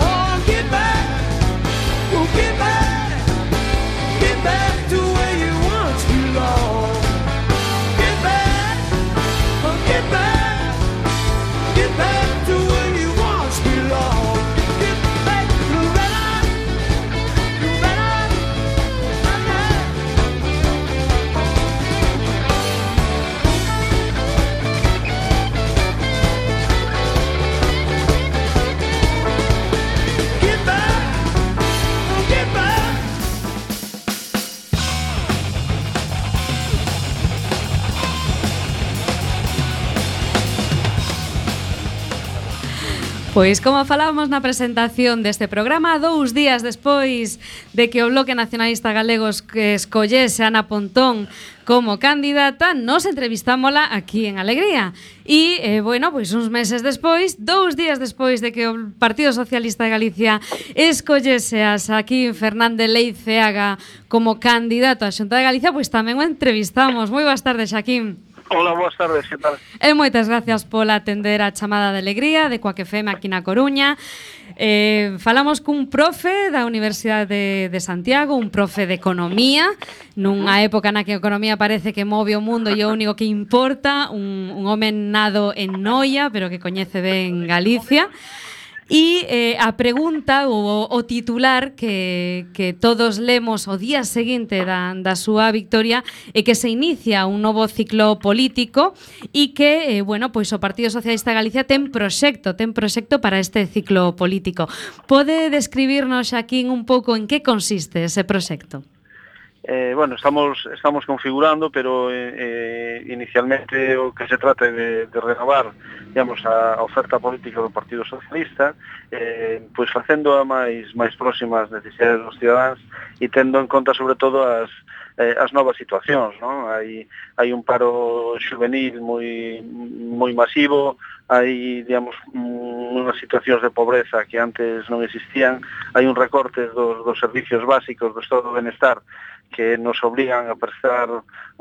Oh, get back, oh, get back, get back to where you once belonged. Get back, oh, get back, get back to where you once belonged. Get back, Loretta, Loretta, get back, oh, get back. Pois como falábamos na presentación deste programa, dous días despois de que o Bloque Nacionalista Galego que escollese a Ana Pontón como candidata, nos entrevistámola aquí en Alegría. E, eh, bueno, pois uns meses despois, dous días despois de que o Partido Socialista de Galicia escollese a Xaquín Fernández Leiceaga como candidato á Xunta de Galicia, pois tamén o entrevistamos. Moi boas tardes, Xaquín. Hola, boas tardes, que tal? E moitas gracias por atender a chamada de alegría de Coac F M aquí na Coruña. Eh, falamos cun profe da Universidade de, de Santiago, un profe de Economía, nunha época na que a economía parece que move o mundo e o único que importa, un, un home nado en Noia, pero que coñece ben Galicia. E eh, a pregunta ou o titular que, que todos lemos o día seguinte da, da súa victoria é que se inicia un novo ciclo político e que, eh, bueno, pois o Partido Socialista de Galicia ten proxecto, ten proxecto para este ciclo político. Pode describirnos, Xaquín, un pouco en que consiste ese proxecto? Eh, bueno, estamos estamos configurando, pero eh, eh, inicialmente o que se trata de, de renovar, digamos, a, a oferta política do Partido Socialista, eh, pois facendo a máis máis próximas necesidades dos cidadáns e tendo en conta sobre todo as eh, as novas situacións, non? Hai hai un paro juvenil moi moi masivo, hai, digamos, unhas situacións de pobreza que antes non existían, hai un recorte dos, dos servicios básicos do Estado do Benestar que nos obligan a prestar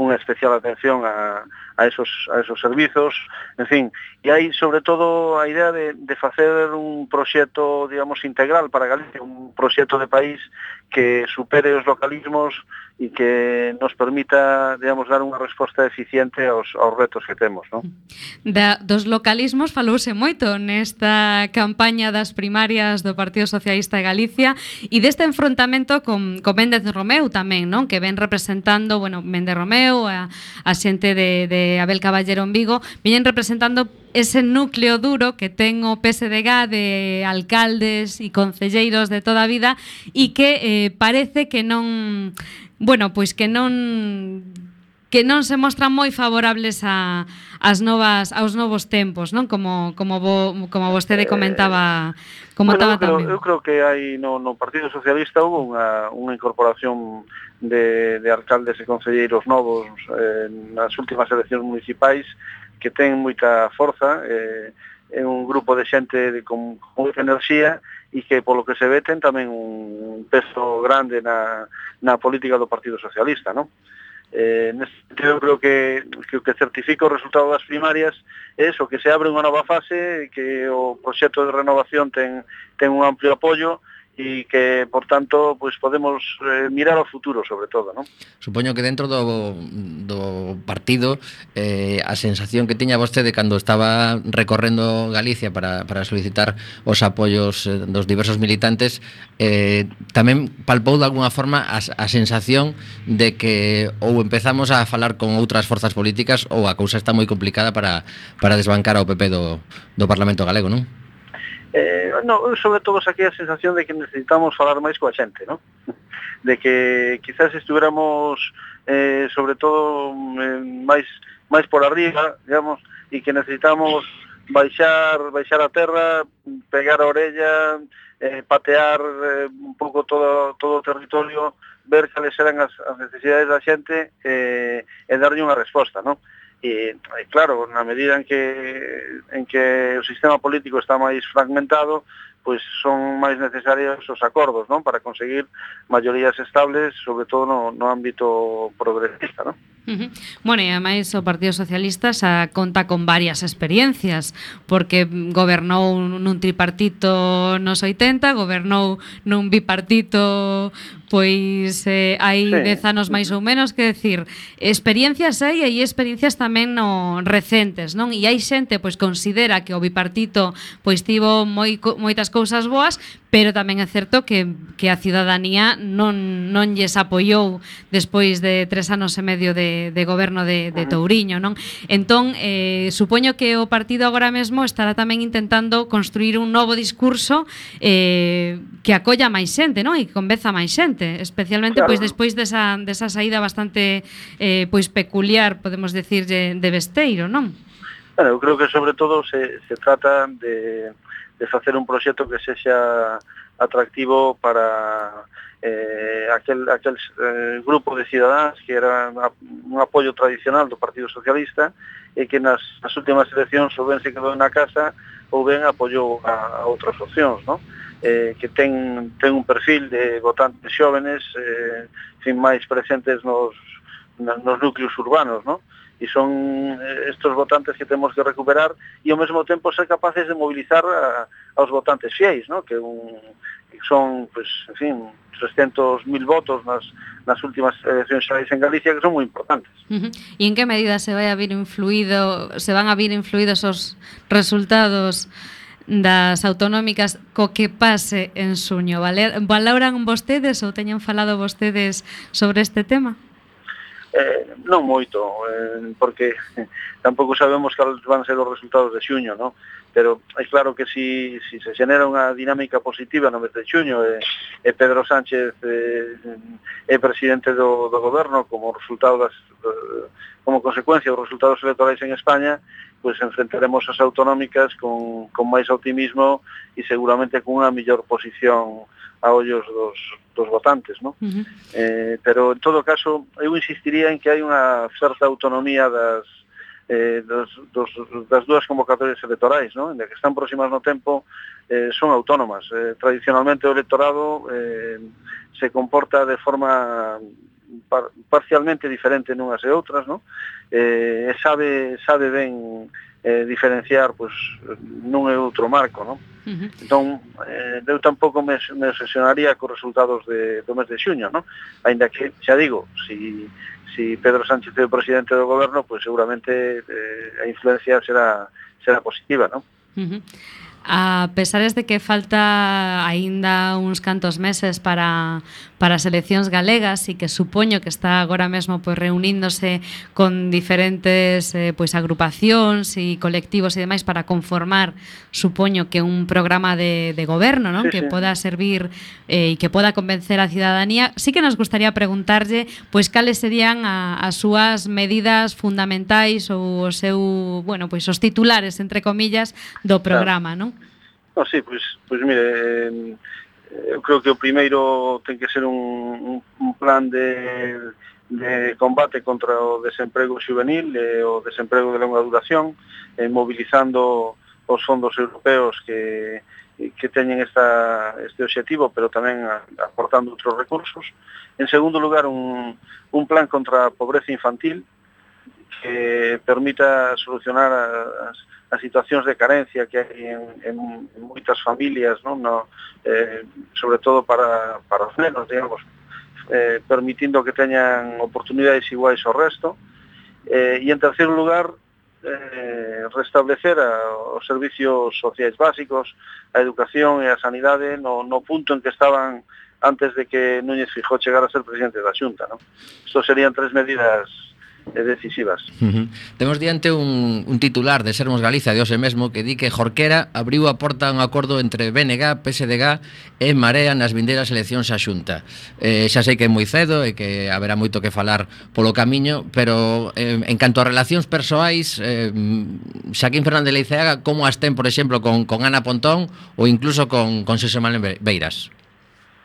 unha especial atención a, a, esos, a esos servizos, en fin, e hai sobre todo a idea de, de facer un proxecto, digamos, integral para Galicia, un proxecto de país que supere os localismos e que nos permita, digamos, dar unha resposta eficiente aos, aos retos que temos, non? Da, dos localismos falouse moito nesta campaña das primarias do Partido Socialista de Galicia e deste enfrontamento con, con Méndez Romeu tamén, non? Que ven representando, bueno, Méndez Romeu, a, a xente de, de Abel Caballero en Vigo, viñen representando ese núcleo duro que ten o P S D G de alcaldes e concelleiros de toda a vida e que eh, parece que non, bueno, pois que non que non se mostran moi favorables a as novas aos novos tempos, non? Como como vo, como vostede comentaba, comentaba bueno, eu creo, tamén. Eu creo que hai no, no Partido Socialista hubo unha, unha incorporación de, de alcaldes e concelleiros novos eh, nas últimas eleccións municipais que ten moita forza, eh, é un grupo de xente de, con, con moita enerxía e que, polo que se ve, ten tamén un peso grande na, na política do Partido Socialista, non? Eh, neste sentido, creo que, que o que certifica o resultado das primarias é eso, que se abre unha nova fase, que o proxecto de renovación ten, ten un amplio apoio e que, por tanto, pues podemos eh, mirar ao futuro, sobre todo, non? Supoño que dentro do, do partido eh, a sensación que tiña vostede cando estaba recorrendo Galicia para, para solicitar os apoios eh, dos diversos militantes eh, tamén palpou de alguna forma a, a sensación de que ou empezamos a falar con outras forzas políticas ou a cousa está moi complicada para, para desbancar ao P P do, do Parlamento galego, non? Eh, no, sobre todo saquei a sensación de que necesitamos falar máis coa xente, ¿no? De que quizás estuviéramos eh, sobre todo eh, máis máis por arriba, digamos, e que necesitamos baixar baixar a terra, pegar a orella, eh, patear eh, un pouco todo todo o territorio, ver cales eran as, as necesidades da xente eh, e darlle unha resposta, ¿no? E, claro, na medida en que en que o sistema político está máis fragmentado, pois son máis necesarios os acordos, non? Para conseguir maiorías estables, sobre todo no, no ámbito progresista, non? Uh-huh. Bueno, e ademais o Partido Socialista xa conta con varias experiencias, porque gobernou nun tripartito nos oitenta, gobernou nun bipartito pois eh, hai sí. dez anos máis ou menos, que decir, experiencias hai e hai experiencias tamén no recentes, non? E hai xente pois considera que o bipartito pois tivo moi moitas cousas boas, pero tamén é certo que que a cidadanía non non lles apoiou despois de tres anos e medio de de goberno de de Touriño, non? Entón, eh supoño que o partido agora mesmo estará tamén intentando construir un novo discurso eh que acolla máis xente, non? E que convenza máis xente, especialmente claro. Pois despois desa desa saída bastante eh pois peculiar, podemos decir, de, de Besteiro, non? Bueno, eu creo que sobre todo se se trata de de facer un proxecto que sexa atractivo para eh, aquel, aquel eh, grupo de cidadáns que era un apoio tradicional do Partido Socialista e que nas, nas últimas eleccións ou ben se quedou na casa ou ben apoiou a, a outras opcións, non? Eh, que ten, ten un perfil de votantes xóvenes eh, fin máis presentes nos, nos núcleos urbanos, non? E son estos votantes que temos que recuperar e ao mesmo tempo ser capaces de mobilizar a, aos votantes fiéis, ¿no? Que, un, que son, pues, en fin, trescentos mil votos nas, nas últimas eleccións xerais en Galicia, que son moi importantes. Uh-huh. E en que medida se vai a vir influído, se van a vir influídos os resultados das autonómicas co que pase en xuño. Valer, valoran vostedes ou teñen falado vostedes sobre este tema? Eh, non moito, eh, porque tampouco sabemos cales van ser os resultados de xuño, non? Pero é claro que si, si se xenera unha dinámica positiva no mes de xuño e, e Pedro Sánchez eh, é presidente do, do goberno como resultado das, como consecuencia dos resultados electorais en España, pues enfrentaremos as autonómicas con, con máis optimismo e seguramente con unha mellor posición a ollos dos, dos votantes, ¿no? Uh-huh. Eh, pero, en todo caso, eu insistiría en que hai unha certa autonomía das, eh, dos, dos, das dúas convocatorias electorais, ¿no? En que están próximas no tempo, eh, son autónomas. Eh, tradicionalmente o electorado eh, se comporta de forma par, parcialmente diferente nunhas e outras, ¿no? Eh, sabe, sabe ben eh, diferenciar, pues, nun e outro marco, ¿no? Uh-huh. Entón, eh, eu tampouco me, me obsesionaría cos resultados de, do mes de xuño, ¿no? Ainda que, xa digo, si, si Pedro Sánchez é o presidente do goberno, pues seguramente eh, a influencia será, será positiva, ¿no? Uh-huh. A pesares de que falta aínda uns cantos meses para, para as eleccións galegas e que supoño que está agora mesmo pois, reuníndose con diferentes eh, pois, agrupacións e colectivos e demais para conformar, supoño que un programa de, de goberno, ¿no? Sí, que sí. poda servir e eh, que poda convencer a cidadanía. Sí que nos gustaría preguntarlle pois cales serían a, as súas medidas fundamentais ou o seu, bueno, pois os titulares entre comillas do programa, claro. ¿non? No, sí, pois, pois mire, eh, eu creo que o primeiro ten que ser un, un, un plan de, de combate contra o desemprego juvenil e o desemprego de longa duración, eh, mobilizando os fondos europeos que, que teñen esta, este objetivo, pero tamén aportando outros recursos. En segundo lugar, un, un plan contra a pobreza infantil que permita solucionar as as situacións de carencia que hai en, en, en moitas familias, non? No, eh, sobre todo para, para os nenos, digamos, eh, permitindo que teñan oportunidades iguais ao resto. Eh, e en terceiro lugar, eh, restablecer a, os servicios sociais básicos, a educación e a sanidade no, no punto en que estaban antes de que Núñez Feijóo chegara a ser presidente da Xunta, non? Isto serían tres medidas decisivas. Uh-huh. Temos diante un, un titular de Sermos Galicia de hoxe mesmo que di que Jorquera abriu a porta a un acordo entre B N G, P S D G e Marea nas vindeiras eleccións á Xunta. Eh, xa sei que é moi cedo e que haberá moito que falar polo camiño, pero eh, en canto a relacións persoais, eh, Xaquín Fernández Leiceaga, como as ten, por exemplo, con, con Ana Pontón ou incluso con, con Xosé Manuel Beiras?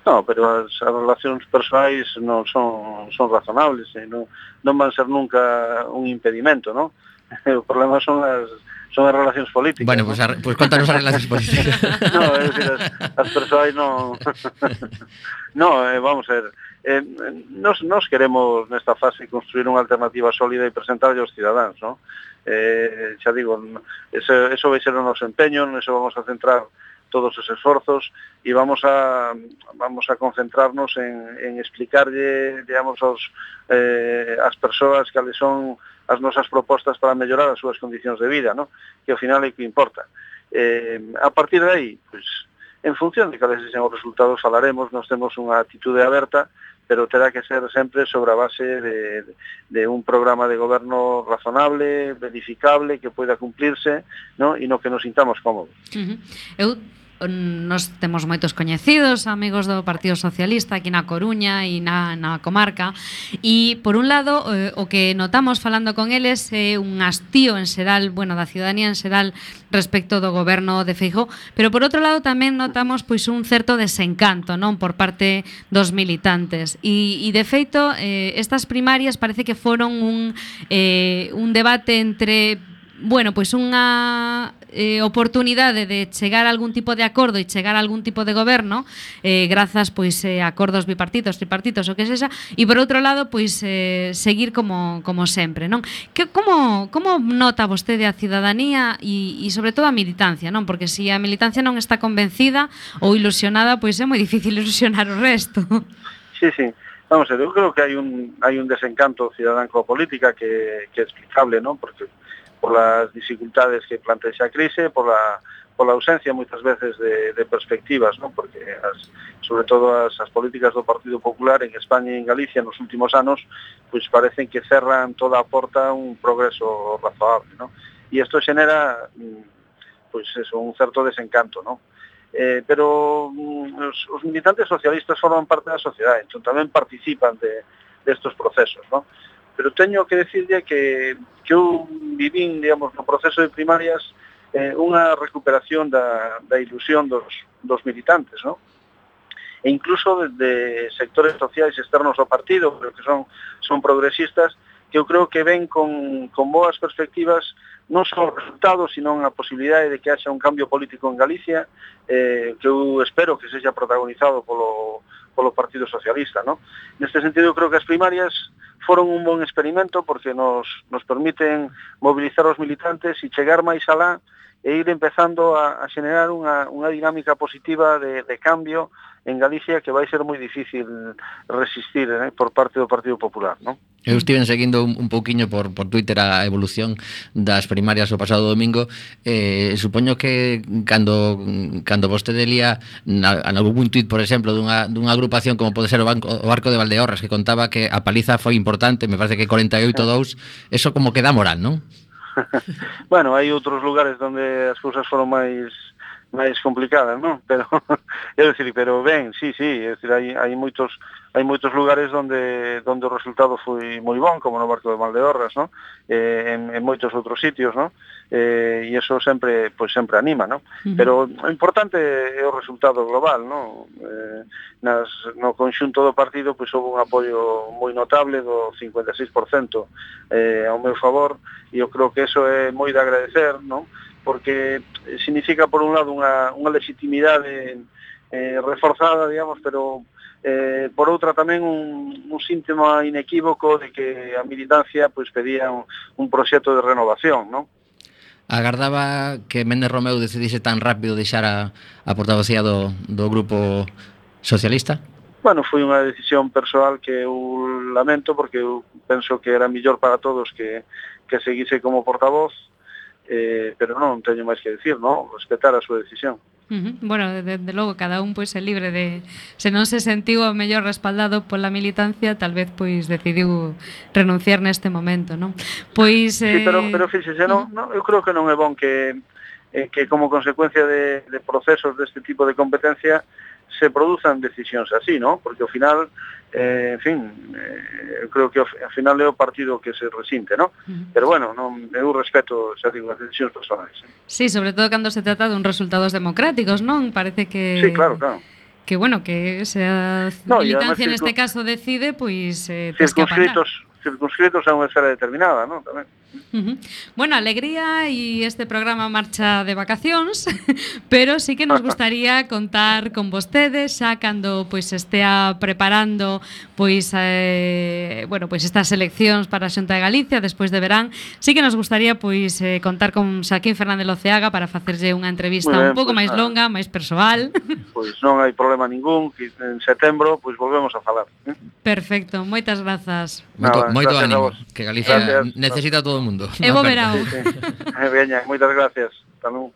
No, pero as, as relacións persoais non son, son razonables, eh, non, non van ser nunca un impedimento, ¿no? O problema son as, son as relacións políticas. Bueno, ¿no? pues, a, pues contanos as relacións políticas. No, é dicir, as, as persoais non... no, eh, vamos a ver, eh, nos, nos queremos nesta fase construir unha alternativa sólida e presentarlle aos cidadáns, ¿no? Eh, xa digo, eso, eso vai ser o noso empeño, eso vamos a centrar todos os esforzos e vamos a vamos a concentrarnos en, en explicarlle, digamos, aos, eh, as persoas cales son as nosas propostas para mellorar as súas condicións de vida, ¿no? Que ao final é que importa. Eh, a partir de aí, pues, en función de cales sexan os resultados falaremos, nos temos unha atitude aberta, pero terá que ser sempre sobre a base de, de un programa de goberno razonable, verificable, que poida cumplirse, ¿no? E no que nos sintamos cómodos. Uh-huh. Eu nos temos moitos coñecidos, amigos do Partido Socialista aquí na Coruña e na, na comarca, e por un lado eh, o que notamos falando con eles é un hastío en xeral, bueno, da ciudadanía en xeral respecto do goberno de Feijóo, pero por outro lado tamén notamos pois un certo desencanto, non, por parte dos militantes e, e de feito eh, estas primarias parece que foron un, eh, un debate entre, bueno, pois unha eh, oportunidade de chegar a algún tipo de acordo e chegar a algún tipo de goberno eh, grazas pois eh, a acordos bipartitos, tripartitos, o que sexa, e por outro lado pois eh, seguir como, como sempre, non? Que, como, como nota vostede a cidadanía e, e sobre todo a militancia, non? Porque se a militancia non está convencida ou ilusionada, pois é moi difícil ilusionar o resto. Sí, sí. Vamos a ver, eu creo que hai un hai un desencanto cidadán coa política que, que é explicable, non? Porque por las dificultades que plantea a crise, por la pola ausencia moitas veces de, de perspectivas, ¿no? Porque as, sobre todo as, as políticas do Partido Popular en España e en Galicia nos últimos anos pues parecen que cerran toda a porta un progreso razoable, ¿no? E isto xenera pues eso, un certo desencanto, ¿no? Eh, pero os, os militantes socialistas forman parte da sociedade, entón tamén participan de, de estos procesos, ¿no? Pero teño que decirle que, que eu vivín, digamos, no proceso de primarias eh, unha recuperación da, da ilusión dos, dos militantes, ¿no? E incluso de, de sectores sociais externos ao partido, pero que son, son progresistas, que eu creo que ven con, con boas perspectivas non só os resultados, sino a posibilidade de que haxa un cambio político en Galicia, eh, que eu espero que sexa protagonizado polo, polo Partido Socialista, ¿no? Neste sentido, eu creo que as primarias foron un bon experimento porque nos, nos permiten mobilizar os militantes e chegar máis alá e ir empezando a, a xenerar unha, unha dinámica positiva de, de cambio en Galicia que vai ser moi difícil resistir, eh, por parte do Partido Popular, ¿no? Eu estive seguindo un, un pouquiño por, por Twitter a evolución das primarias o pasado domingo. eh, Supoño que cando cando vostede lía na, en algún tuit, por exemplo, dunha, dunha agrupación como pode ser o, banco, o Barco de Valdeorras, que contaba que a paliza foi importante, me parece que cuarenta e oito a dous, eso como que dá moral, non? Bueno, hai outros lugares onde as cousas foron máis máis complicadas, non? Pero é dicir, pero ben, sí, sí, é dicir, hai hai moitos hai moitos lugares onde onde o resultado foi moi bon, como no Barco de Valdeorras, non? Eh, en, en moitos outros sitios, non? Eh, e iso sempre, pois sempre anima, non? Uh-huh. Pero o importante é o resultado global, non? Eh, nas, no conxunto do partido, pois houve un apoio moi notable do cincuenta e seis por cento eh, ao meu favor, e eu creo que eso é moi de agradecer, non? Porque significa, por un lado, unha, unha legitimidade eh, reforzada, digamos, pero eh, por outra tamén un, un síntoma inequívoco de que a militancia pues, pedía un, un proxecto de renovación, non? Agardaba que Méndez Romeu decidise tan rápido deixar a, a portavocía do, do grupo socialista? Bueno, foi unha decisión persoal que eu lamento porque eu penso que era millor para todos que, que seguise como portavoz, eh, pero non teño máis que decir, non? Respetar a súa decisión. Uh-huh. Bueno, de, de logo, cada un pois é libre de, se non se sentiu o mellor respaldado pola militancia, tal vez pois decidiu renunciar neste momento, non? Pois eh... Sí, pero, pero fíxese, uh-huh. non, non, eu creo que non é bon que, eh, que como consecuencia de, de procesos deste tipo de competencia se produzan decisións así, ¿no? Porque ao final, eh, en fin, eh, eu creo que ao final é o partido que se resinte, ¿no? Uh-huh. Pero bueno, non, eu respeto, xa digo, as decisións personais. ¿eh? Sí, sobre todo cando se trata dun resultados democráticos, non? Parece que... Sí, claro, claro. Que, bueno, que se a no, militancia además, neste caso decide, pois... Eh, circunscritos, circunscritos a unha esfera determinada, non? Tamén. Uh-huh. Bueno, alegría e este programa marcha de vacacións, pero sí que nos gustaría contar con vostedes xa cando pois estea preparando pois eh, bueno, pois estas eleccións para a Xunta de Galicia despois de verán. Sí que nos gustaría pois eh, contar con Xaquín Fernández Loceaga para facerlle unha entrevista ben, un pouco pues, máis longa, máis persoal. Pois non hai problema ningún, que en setembro pois volvemos a falar. ¿eh? Perfecto, moitas grazas. Moito, Nada, moito ánimo, que Galicia gracias. necesita todo o mundo. E bo verao. Sí, sí. Veña, moitas gracias. Hasta luego.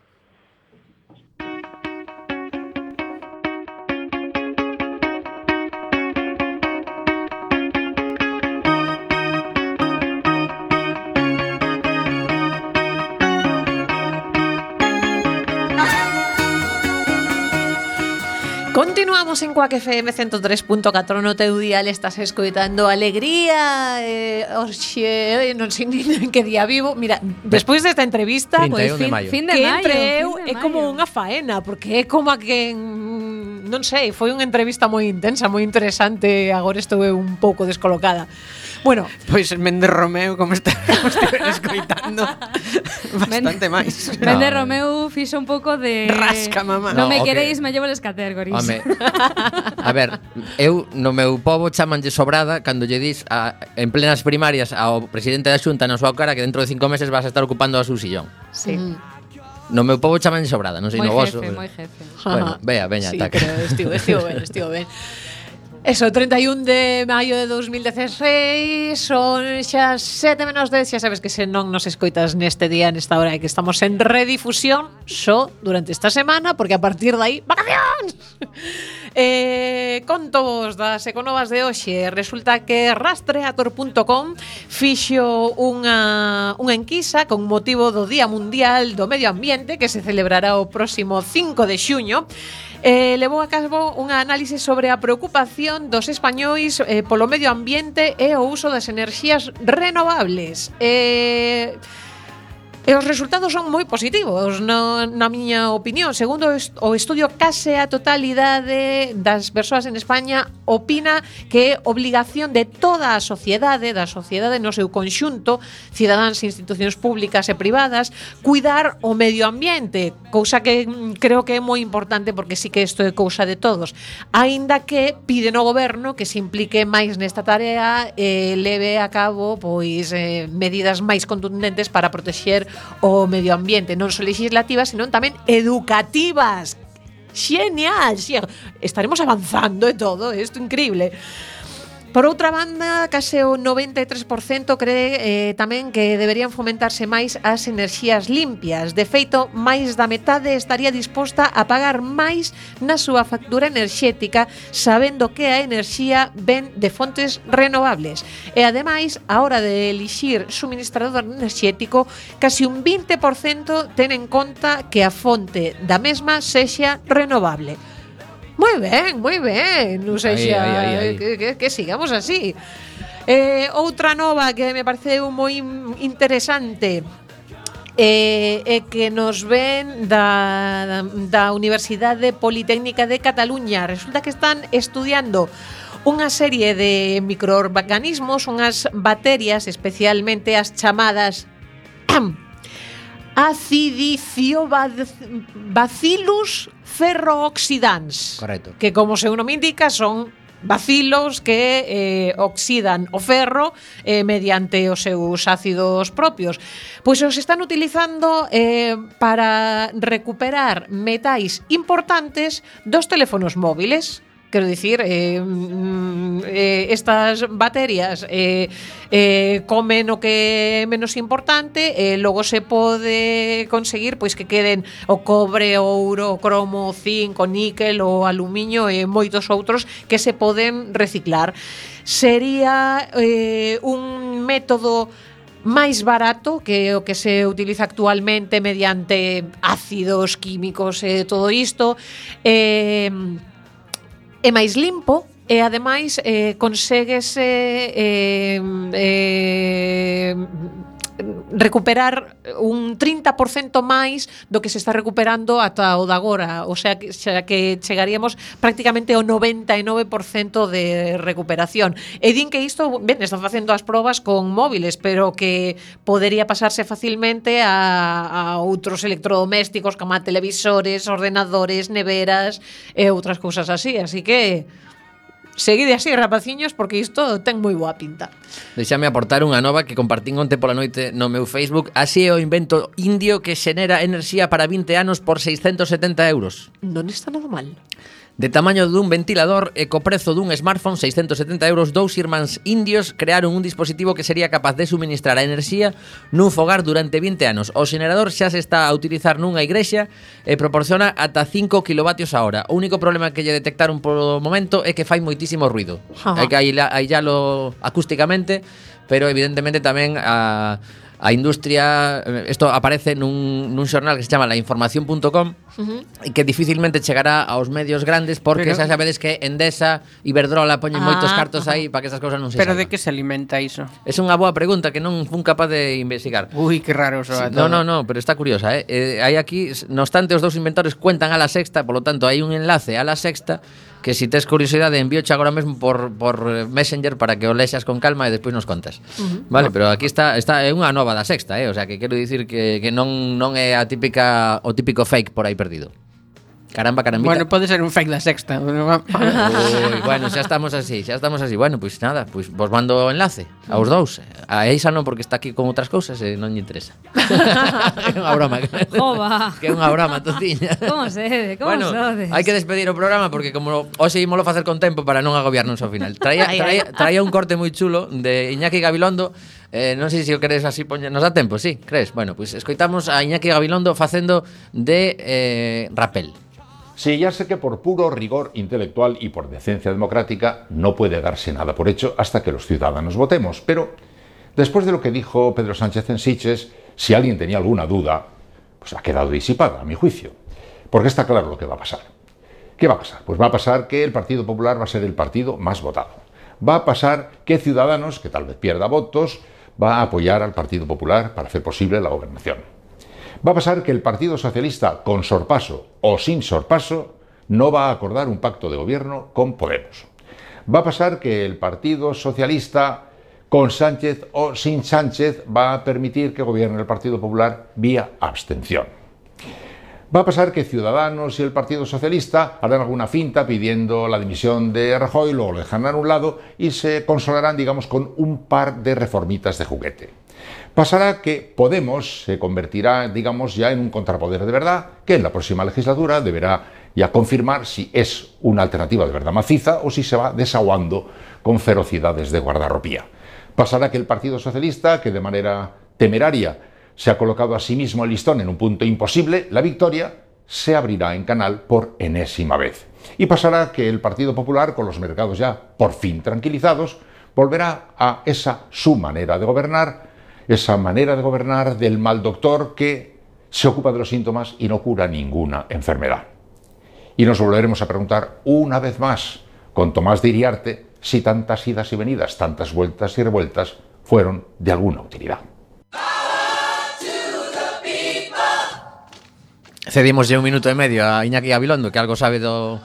Continuamos en Quack F M ciento tres punto catro no teu dial. Estás escoitando Alegría eh, Oxe, non sei nin en que día vivo. Mira, despois desta entrevista trinta e un de fin, maio. Fin de que maio, entre eu fin de é como maio. unha faena, porque é como a que mm, non sei, foi unha entrevista moi intensa, moi interesante. Agora estou eu un pouco descolocada. Bueno, Pois Méndez Romeu, como está escoitando, bastante máis. No. Méndez Romeu fixo un pouco de... Rasca, mamá. Non No, me o que- queréis, me llevo les categories. Home, a ver, eu no meu pobo chamanlle sobrada cando lle dis a, en plenas primarias ao presidente da Xunta na súa cara que dentro de cinco meses vas a estar ocupando a su sillón. Sí. No meu pobo chamanlle sobrada, non sei Moi no voso. jefe, moi jefe. Bueno, vea, veña, sí, taca. pero estivo, estivo ben, estivo ben. Eso, treinta y un de maio de dos mil dieciséis, son xa sete menos dez, xa sabes que se non nos escoitas neste día, nesta hora, que estamos en redifusión só durante esta semana, porque a partir de aí, vacacións! eh, conto vos das econovas de hoxe. Resulta que rastreator punto com fixo unha, unha enquisa con motivo do Día Mundial do Medio Ambiente, que se celebrará o próximo cinco de xuño. Eh, levou a cabo unha análise sobre a preocupación dos españois eh, polo medio ambiente e o uso das enerxías renovables. Eh, E os resultados son moi positivos, no, na miña opinión. Segundo o estudio, case a totalidade das persoas en España opina que é obligación de toda a sociedade, da sociedade no seu conxunto, cidadáns, institucións públicas e privadas, cuidar o medio ambiente, cousa que creo que é moi importante, porque sí que isto é cousa de todos. Aínda que piden ao goberno que se implique máis nesta tarea e leve a cabo pois eh, medidas máis contundentes para protexer o medio ambiente, non só legislativas, senón tamén educativas. Genial, xenial. Estaremos avanzando e todo, isto é increíble. Por outra banda, case o noventa e tres por cento cree eh, tamén que deberían fomentarse máis as enerxías limpias. De feito, máis da metade estaría disposta a pagar máis na súa factura enerxética, sabendo que a enerxía ven de fontes renovables. E ademais, a hora de elixir suministrador enerxético, casi un vinte por cento ten en conta que a fonte da mesma sexa renovable. Moi ben, moi ben, non sei xa, Aí, aí, aí. que, que, que sigamos así. Eh, outra nova que me pareceu moi interesante eh, é que nos ven da, da Universidade Politécnica de Cataluña. Resulta que están estudiando unha serie de microorganismos, unhas bacterias, especialmente as chamadas acidiciobacillus ferrooxidans. Correcto. Que, como seu nome indica, son bacilos que eh, oxidan o ferro eh, mediante os seus ácidos propios. Pois os están utilizando eh, para recuperar metais importantes dos teléfonos móviles. Quero dicir, eh, eh, estas bacterias eh, eh, comen o que é menos importante e logo se pode conseguir pois que queden o cobre, o ouro, o cromo, o zinc, o níquel, o aluminio e moitos outros que se poden reciclar. Sería eh, un método máis barato que o que se utiliza actualmente mediante ácidos químicos e todo isto. Eh, é máis limpo e ademais eh, conseguese eh, eh, recuperar un trinta por cento máis do que se está recuperando ata o de agora, o sea, que, xa que chegaríamos prácticamente ao noventa e nove por cento de recuperación. E din que isto, ben, están facendo as probas con móviles, pero que podería pasarse facilmente a, a outros electrodomésticos como a televisores, ordenadores, neveras e outras cousas así, así que seguide así, rapaciños, porque isto ten moi boa pinta. Deixame aportar unha nova que compartín onte pola noite no meu Facebook. Así é o invento indio que xenera enerxía para vinte anos por seiscentos setenta euros. Non está nada mal. De tamaño dun ventilador e co prezo dun smartphone, seiscentos setenta euros, dous irmáns indios crearon un dispositivo que sería capaz de suministrar a enerxía nun fogar durante vinte anos. O xenerador xa se está a utilizar nunha igrexa e proporciona ata cinco kilovatios a hora. O único problema que lle detectaron polo momento é que fai moitísimo ruido. Hai que aillalo acústicamente, pero evidentemente tamén a... A industria, isto aparece nun, nun xornal que se chama la información punto com, uh-huh, e que dificilmente chegará aos medios grandes porque xa sabedes que Endesa, Iberdrola poñen ah, moitos cartos aí para que esas cousas non se Pero salgan. de que se alimenta iso? É unha boa pregunta que non fun capaz de investigar. Ui, que raro soa Sí, todo. no, no, no, pero está curiosa, eh? eh hai aquí, no obstante, os dous inventores cuentan a La Sexta, por lo tanto, hai un enlace a La Sexta que si tes curiosidade envíoche agora mesmo por, por Messenger para que o lexas con calma e despois nos contas. Uh-huh. Vale, pero aquí está está é unha nova da Sexta, eh? O sea, que quero dicir que, que non non é a típica o típico fake por aí perdido. Caramba, carambita. Bueno, pode ser un fake da sexta. Ui, bueno, xa estamos así, xa estamos así. Bueno, pois pues nada, pois pues vos mando o enlace aos dous. A Eisa non, porque está aquí con outras cousas e non lle interesa. É unha broma. Jova. Que é unha broma, tociña. Como sede, como Bueno, sodes? hai que despedir o programa porque como hoxe ímolo facer con tempo para non agobiarnos ao final. Traía, traía, traía un corte moi chulo de Iñaki Gabilondo. Eh, non sei se o queres así poñer. Nos dá tempo, sí, crees? Bueno, pois pues escoitamos a Iñaki Gabilondo facendo de eh, rapel. Sí, ya sé que por puro rigor intelectual y por decencia democrática no puede darse nada por hecho hasta que los ciudadanos votemos, pero después de lo que dijo Pedro Sánchez en Sitges, si alguien tenía alguna duda, pues ha quedado disipada, a mi juicio, porque está claro lo que va a pasar. ¿Qué va a pasar? Pues va a pasar que el Partido Popular va a ser el partido más votado. Va a pasar que Ciudadanos, que tal vez pierda votos, va a apoyar al Partido Popular para hacer posible la gobernación. Va a pasar que el Partido Socialista, con sorpaso o sin sorpaso, no va a acordar un pacto de gobierno con Podemos. Va a pasar que el Partido Socialista, con Sánchez o sin Sánchez, va a permitir que gobierne el Partido Popular vía abstención. Va a pasar que Ciudadanos y el Partido Socialista harán alguna finta pidiendo la dimisión de Rajoy, luego lo dejarán a un lado y se consolarán, digamos, con un par de reformitas de juguete. Pasará que Podemos se convertirá, digamos, ya en un contrapoder de verdad, que en la próxima legislatura deberá ya confirmar si es una alternativa de verdad maciza o si se va desaguando con ferocidades de guardarropía. Pasará que el Partido Socialista, que de manera temeraria se ha colocado a sí mismo el listón en un punto imposible, la victoria se abrirá en canal por enésima vez. Y pasará que el Partido Popular, con los mercados ya por fin tranquilizados, volverá a esa su manera de gobernar, esa manera de gobernar del mal doctor que se ocupa de los síntomas y no cura ninguna enfermedad. Y nos volveremos a preguntar una vez más, con Tomás de Iriarte, si tantas idas y venidas, tantas vueltas y revueltas fueron de alguna utilidad. Cedimos ya un minuto e medio a Iñaki Gabilondo, que algo sabe do,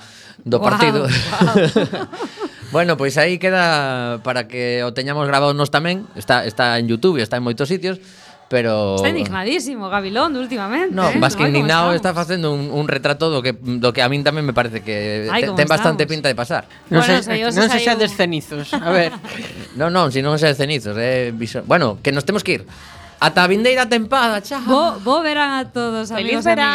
do Guau, partido. guau. Bueno, pois aí queda para que o teñamos grabado nos tamén. Está, está en YouTube e está en moitos sitios, pero... Está indignadísimo Gabilondo últimamente. No, eh? más que Ai, como indignado estamos. está facendo un, un retrato do que, do que a min tamén me parece que Ai, te, como ten bastante estamos. pinta de pasar. Non Bueno, se, sei, eu non se se saiu- xa descenizos. A ver. Non, non, si non é cenizos, é viso... Bueno, que nos temos que ir. Ata a vindeira tempada, chao. Bo, bo verán a todos, Feliz amigos e verán.